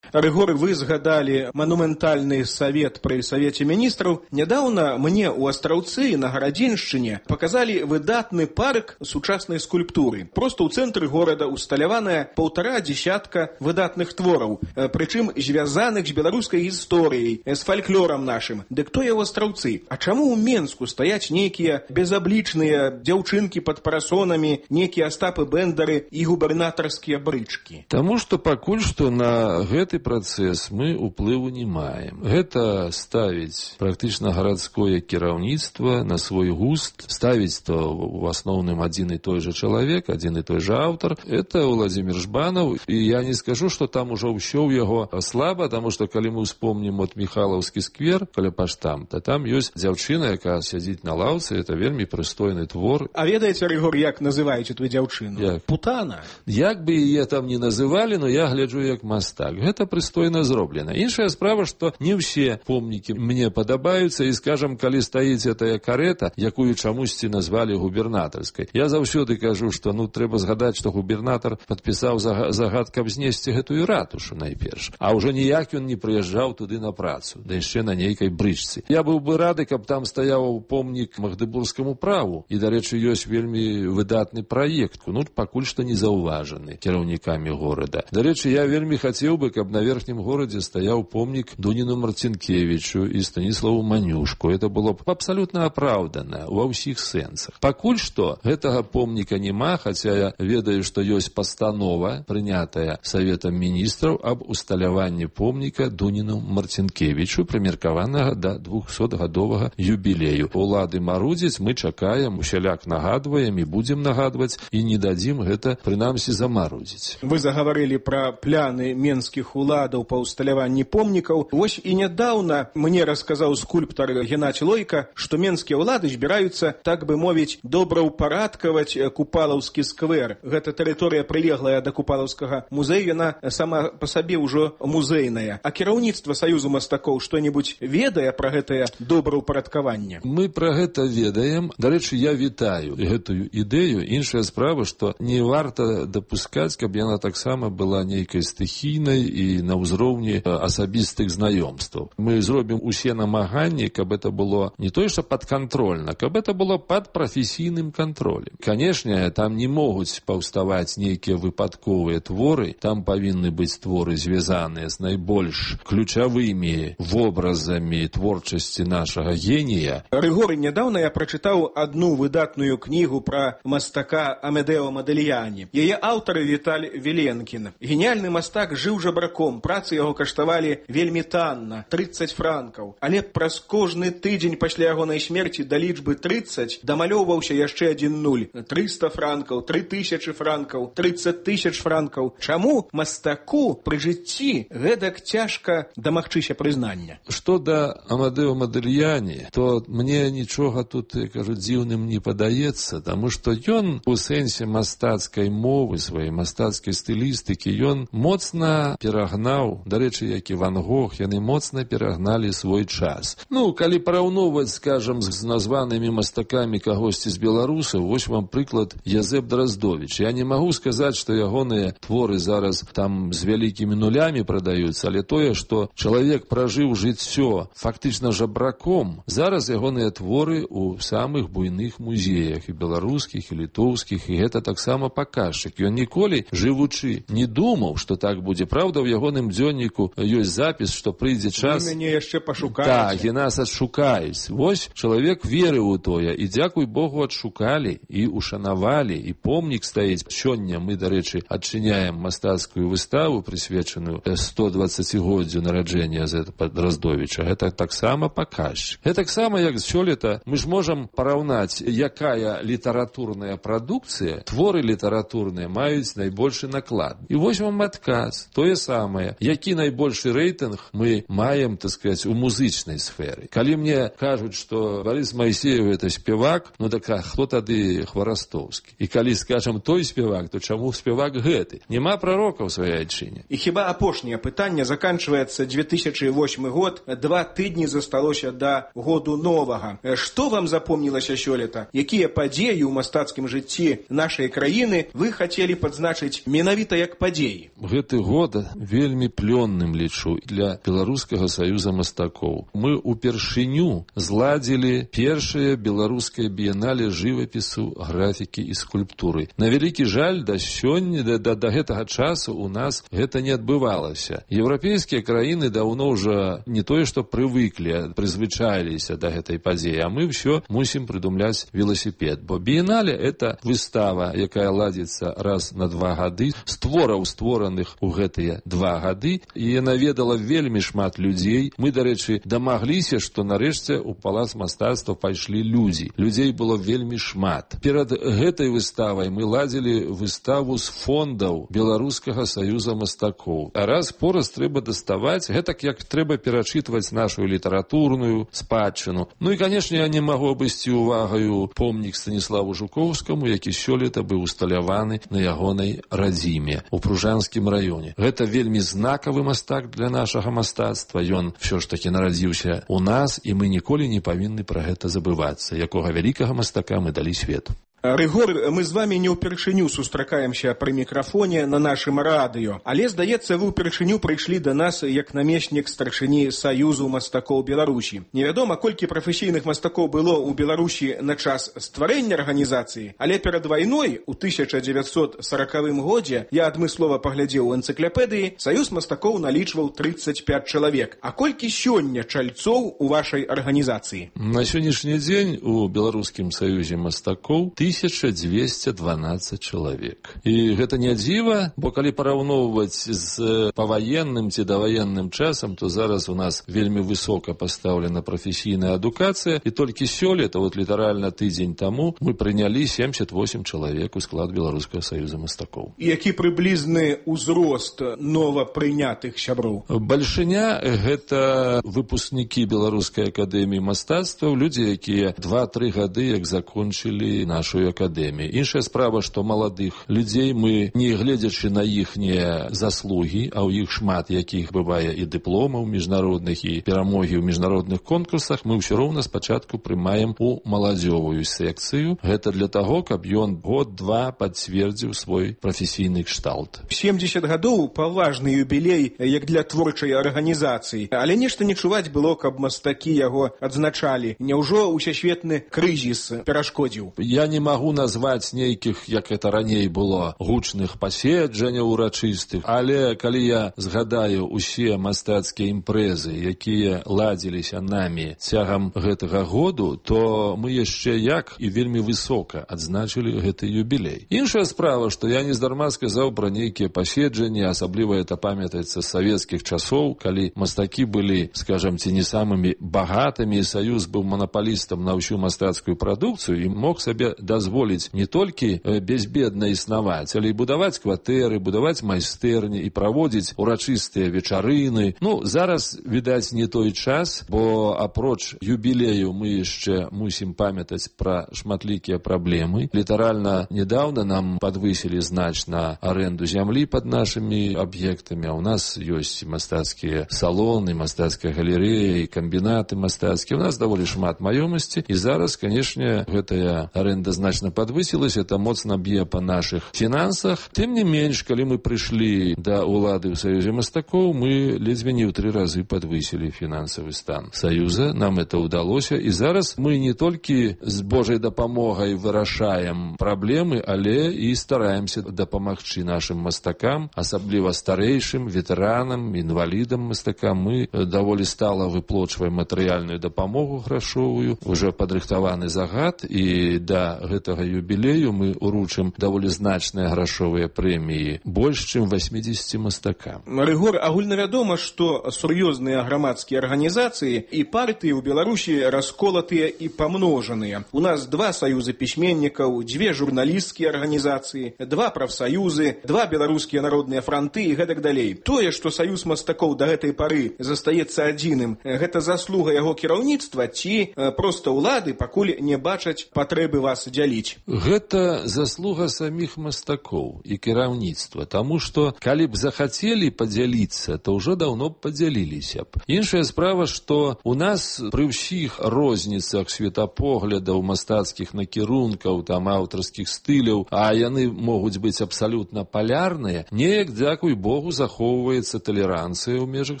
Рыгор, вы згадалі манументальны савет пры Савеце міністраў. Нядаўна мне ў Астраўцы на Гарадзеншчыне паказалі выдатны парк сучаснай скульптуры. Проста ў цэнтры горада усталяваная паўтара дзесятка выдатных твораў, прычым звязаных з беларускай гісторыяй, з фальклорам нашым. Дык то я ў Астраўцы. А чаму ў Менску стаяць нейкія безаблічныя дзяўчынкі пад парасонамі, нейкія Астапы Бэндары і губернатарскія брычкі? Таму што пакуль што на гэты працэс мы ўплыву не маем. Гэта ставіць практычна гарадское кіраўніцтва на свой густ, ставіць то в асноўным адзін і той же чалавек, адзін і той же аўтар. Это Владимир Жбанов, і я не скажу, што там ужо ўсё ў яго слаба, таму што калі мы ўспомнім от Михайлаўскі сквер каля паштамта, там ёсць дзяўчына, якая сядзіць на лаўцы, это вельмі прыстойны твор. А ведаеце, Рыгор, як называеце твою дзяўчыну? Як? Путана. Як бы яе там не называлі, но я гляджу як мастак. Гэта прыстойна зроблена. Іншая справа, што не ўсе помнікі мне падабаюцца, і, скажам, калі стаіць гэтая карета, якую чамусьці назвалі губернатарскай. Я заўсёды кажу, што ну трэба згадаць, што губернатар падпісаў загад, каб знесці гэтую ратушу найперш. А ўжо ніяк ён не прыязджаў туды на працу, да яшчэ на нейкай брычцы. Я быў бы рады, каб там стаяў помнік Магдебургскаму праву. І, дарэчы, ёсць вельмі выдатны праект, ну, пакуль што не заўважаны кіраўнікамі горада. Дарэчы, я вельмі хацеў бы, каб на верхнім горадзе стаяў помнік Дуніну Марцінкевічу і Станіславу Манюшку. Это было б абсалютна апраўдана ва ўсіх сэнсах. Пакуль што гэтага помніка няма, хаця я ведаю, што ёсць пастанова, прынятая Саветам міністраў аб усталяванні помніка Дуніну Марцінкевічу, прымеркаванага да двухсотгадовага юбілею. Улады марудзяць, мы чакаем, усяляк нагадваем і будзем нагадваць, і не дадзім гэта, прынамсі, замарудзіць. Вы загаварылі пра пляны менскіх уладаў па усталяванні помнікаў. Вось і нядаўна мне расказаў скульптар Геннадзь Лойка, што менскія ўлады збіраюцца, так бы мовіць, добраўпарадкаваць Купалаўскі сквер. Гэта тэрыторыя прылеглая да Купалаўскага музею, яна сама па сабе ўжо музейная. А кіраўніцтва Саюзу мастакоў што-небудзь ведае пра гэтае добраўпарадкаванне? Мы пра гэта ведаем. Дарэчы, я вітаю гэтую ідэю. Іншая справа, што не варта дапускаць, каб яна таксама была нейкай стыхійнай і на ўзроўні асабістых знаёмстваў. Мы зробім усе намаганні, каб это было не тое, што падкантрольна, каб это было пад прафесійным кантролем. Канешне, там не могуць паўставаць нейкія выпадковыя творы, там павінны быць творы, звязаныя з найбольш ключавымі вобразамі творчасці нашага генія. Рыгор, нядаўна я прачытаў адну выдатную кнігу пра мастака Амедео Модельяні. Яе аўтар Віталь Віленкін. Геніальны мастак жыў жабраком, працы яго каштавалі вельмі танна, трыццаць франкаў. Але праз кожны тыдзень пасля ягонай смерці да лічбы трыццаць дамалёўваўся яшчэ адзін нуль. трыста франкаў, тры тысячы франкаў, трыццаць тысяч франкаў. Чаму мастаку пры жыцці гэтак цяжка дамагчыся прызнання? Што да Амадео Модельяні, то мне нічога тут, я кажу, дзіўным не падаецца, таму што ён у сэнсе мастацкай мовы, сваёй мастацкай стылістыкі, ён моцна перагнаў, дарэчы, як і Ван Гог, яны моцна перагналі свой час. Ну, калі параўноўваць, скажам, з названымі мастакамі кагосьці з беларусаў, вось вам прыклад Язэп Драздовіч. Я не магу сказаць, што ягоныя творы зараз там з вялікімі нулямі прадаюцца, але тое, што чалавек пражыў жыццё фактычна жабраком, зараз ягоныя творы ў самых буйных музеях, і беларускіх, і літоўскіх, і гэта таксама паказчык. Ён ніколі, жывучы, не думаў, што так будзе. Праўда, ў ягоным дзённіку ёсць запіс, што прыйдзе час... Вы мяне яшчэ пашукаеце. Так, і нас адшукаюць. Вось чалавек верыў у тое, і, дзякуй Богу, адшукалі, і ушанавалі, і помнік стаіць. Сёння мы, дарэчы, адчыняем мастацкую выставу, прысвечаную сто дваццацігоддзю нараджэння Язэпа Драздовіча. Гэта таксама паказчык. Гэта таксама, як сёлета, мы ж можам параўнаць, якая літаратурная прадукцыя, творы літаратурныя маюць найбольшы наклад. І вось вам адказ. Тое самае. Які найбольшы рэйтынг мы маем, так сказаць, у музычнай сферы. Калі мне кажуць, што Борис Майсеев это спевак, ну так а хто тады Хварастоўскі? І калі скажам той спевак, то чаму спевак гэты? Нема прарока ў сваёй айчыне. І хіба апошняе пытанне, заканчваецца две тысячы восьмы год, два тыдні засталося да году новага. Што вам запомнілася сёлета? Якія падзеі ў мастацкім жыцці нашай краіны вы хацелі падзначыць менавіта як падзеі? Гэты год вельмі плённым лічу для Беларускага саюза мастакоў. Мы упершыню зладзілі першае беларускае біеннале жывапісу, графікі і скульптуры. На вялікі жаль, да сёння, да, да, да гэтага часу у нас гэта не адбывалася. Еўрапейскія краіны даўно ўжо не тое, што прывыклі, прызвычаіліся да гэтай падзеі, а мы ўсё мусім прыдумляць велосипед. Бо біеннале — это выстава, якая ладзіцца раз на два гады, з твораў, створаных у гэтыя два два гады, і яна ведала вельмі шмат людзей. Мы, дарэчы, дамагліся, што нарэшце у палац мастацтва пайшлі людзі. Людзей было вельмі шмат. Перад гэтай выставай мы ладзілі выставу з фондаў Беларускага саюза мастакоў. А раз пораз трэба даставаць, гэтак як трэба перачытваць нашу літаратурную спадчыну. Ну і, канешне, я не магу абысці увагаю помнік Станіславу Жукоўскаму, які сёлета быў усталяваны на ягонай радзіме у Пружанскім раёне. Гэта вельмі знакавы мастак для нашага мастацтва. Ён всё ж такі нарадзіўся у нас, і мы ніколі не павінны пра гэта забывацца, якога вялікага мастака мы далі свету. Рыгор, мы з вами не ўпершыню сустракаемся пры мікрафоне на нашым радыё, але, здаецца, вы ўпершыню прыйшлі да нас як намеснік старшыні Саюзу мастакоў Беларусі. Невядома, колькі прафесійных мастакоў было ў Беларусі на час стварэння арганізацыі, але перад вайной у тысяча дзевяцьсот сорокавым годзе, я адмыслова паглядзеў у энцыклапедыі, Саюз мастакоў налічваў тридцать пять чалавек. А колькі сёння чальцоў у вашай арганізацыі? На сённяшні дзень у Беларускім саюзе мастакоў тысяча двести дванадцать чалавек. І гэта не дзіва, бо калі параўноўваць з паваенным ці даваенным часам, то зараз у нас вельмі высока пастаўлена прафесійная адукацыя, і толькі сёлета, вот літаральна тыдзень таму, мы прынялі семьдесят восемь чалавек у склад Беларускага саюза мастакоў. І які прыблізны ўзрост новапрынятых сяброў? Бальшыня — гэта выпускнікі Беларускай акадэміі мастацтваў, людзі, якія два-тры гады як закончылі нашу акадэміі. Іншая справа, што маладых людзей мы, не гледзячы на іхнія заслугі, а ў іх шмат якіх бывае і дыпломаў міжнародных, і перамогі ў міжнародных конкурсах, мы ўсё роўна спачатку прымаем у маладзёвую секцыю. Гэта для таго, каб ён год-два пацвердзіў свой прафесійны кшталт. семьдесят гадоў — паважны юбілей як для творчай арганізацыі, але нешта не чуваць было, каб мастакі яго адзначалі. Няўжо ўсесветны крызіс перашкодзіў? Я не магу назваць нейкіх, як это раней было, гучных паседжанняў урачыстых, але калі я згадаю усе мастацкія імпрэзы, якія ладзіліся намі цягам гэтага году, то мы яшчэ як і вельмі высока адзначылі гэты юбілей. Іншая справа, што я нездарма сказаў пра нейкія паседжанні, асабліва это памятаецца з савецкіх часоў, калі мастакі былі, скажам, ці не самымі багатымі, і Саюз быў манапалістам на ўсю мастацкую прадукцыю і мог сабе дазволіць не толькі безбедна існаваць, але і будаваць кватэры, будаваць майстэрні і праводзіць урачыстыя вечарыны. Ну, зараз, відаць, не той час, бо апроч юбілею мы яшчэ мусім памятаць пра шматлікія праблемы. Літаральна недавно нам падвысілі значна аренду зямлі пад нашымі аб'ектамі, а ў нас ёсць мастацкія салоны, мастацкая галерэя і камбінаты мастацкія. У нас даволі шмат маёмасці, і зараз, канешне, гэтая аренда значна падвысілася, это моцна б'е па нашых фінансах. Тым не менш, калі мы прыйшлі да ўлады ў Саюзе мастакоў, мы ледзьве не ў тры разы падвысілі фінансавы стан Саюза. Нам это ўдалося, і зараз мы не толькі з Божай дапамогай вырашаем праблемы, але і стараемся дапамагчы нашым мастакам, асабліва старэйшым, ветэранам, інвалідам мастакам. Мы даволі стала выплочваем матэрыяльную дапамогу грашовую, уже падрыхтаваны загад, і да гэтага юбілею мы уручым даволі значныя грашовыя прэміі, больш чым восьмидесяти мастакам. Рыгор, агульнавядома, што сур'ёзныя грамадскія арганізацыі і партыі ў Беларусі расколатыя і памножаныя. У нас два саюзы пісьменнікаў, дзве журналісцкія арганізацыі, два прафсаюзы, два беларускія народныя франты і гэтак далей. Тое, што Саюз мастакоў да гэтай пары застаецца адзіным, гэта заслуга яго кіраўніцтва ці проста ўлады пакуль не бачаць патрэбы вас дзяліць? Гэта заслуга саміх мастакоў і кіраўніцтва, таму што калі б захацелі падзяліцца, то ўжо даўно б падзяліліся б. Іншая справа, што у нас пры ўсіх розніцах светапоглядаў, мастацкіх накірункаў, там аўтарскіх стыляў, а яны могуць быць абсалютна палярныя, неяк, дзякуй Богу, захоўваецца талеранцыя ў межах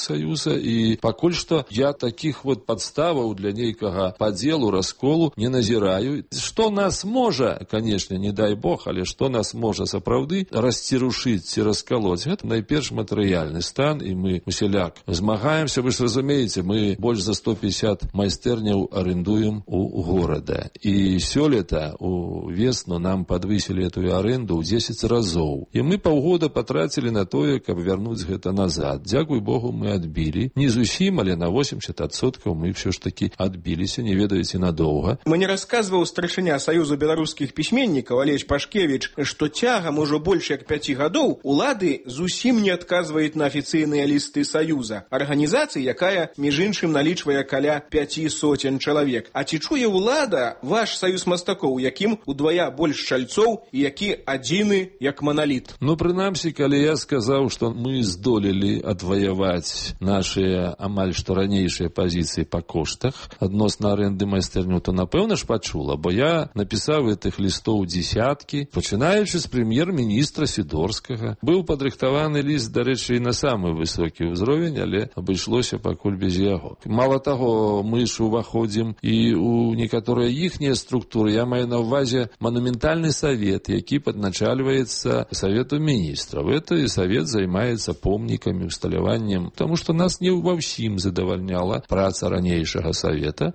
Саюза, і пакуль што я такіх вот падставаў для нейкага падзелу, расколу не назіраю. Што нас можа, канешне, не дай бог, але што нас можа сапраўды расцірушыць ці раскалоць, гэта найперш матэрыяльны стан, і мы усяляк змагаемся. Вы ж разумееце, мы больш за сто пятьдесят майстэрняў арендуем у горада. І сёлета у весну нам падвысілі этую аренду ў дзесяць разоў. І мы паўгода патрацілі на тое, каб вярнуць гэта назад. Дзякуй Богу, мы адбілі. Не зусім, але на восемьдесят адсоткаў мы ўсё ж такі адбіліся, не ведаеце, надоўга. Мне расказваў старшыня Саюза беларускіх пісьменнікаў Алесь Пашкевіч, што цягам ужо больш як пяці гадоў улады зусім не адказваюць на афіцыйныя лісты Саюза, арганізацыі, якая, між іншым, налічвае каля пяці соцень чалавек. А ці чуе ўлада ваш саюз мастакоў, якім удвая больш чальцоў і які адзіны як маналіт? Ну, прынамсі, калі я сказаў, што мы здолелі адваяваць нашыя амаль што ранейшыя пазіцыі па коштах адносна аренды майстэрню, то напэўна ж пачула, бо я напісаў гэтых лістоў дзесяткі, пачынаючы з прэм'ер-міністра Сідорскага. Быў падрыхтаваны ліст, дарэчы, і на самы высокі ўзровень, але абышлося пакуль без яго. Мала таго, мы ж уваходзім і ў некаторыя іхнія структуры. Я маю на ўвазе манументальны савет, які падначальваецца Савету міністраў. Это і савет займаецца помнікамі, усталяваннем, таму што нас не ва ўсім задавальняла праца ранейшага савета.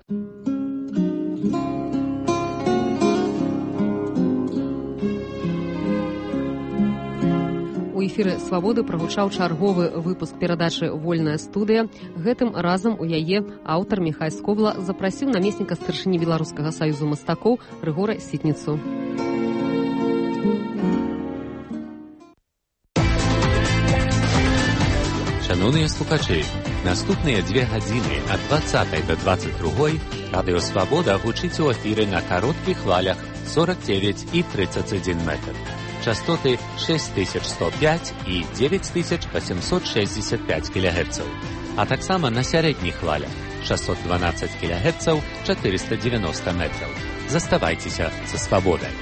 У эфіры «Свабоды» прагучаў чарговы выпуск перадачы «Вольная студыя». Гэтым разам у яе аўтар Міхай Скобла запрасіў намесніка старшыні Беларускага саюзу мастакоў Рыгора Сітніцу. Шановныя слухачы, наступныя две гадзіны ад двадцатай да двадцать другой радыё «Свабода» гучыць у эфіры на кароткіх хвалях сорок девять и тридцать один метр. Частоты шесть тысяч сто пять и девять тысяч восемьсот шестьдесят пять килогерцаў, а таксама на сярэдніх хвалях шестьсот двенадцать килогерцаў, четыреста девяносто метров. Заставайцеся са «Свабодай».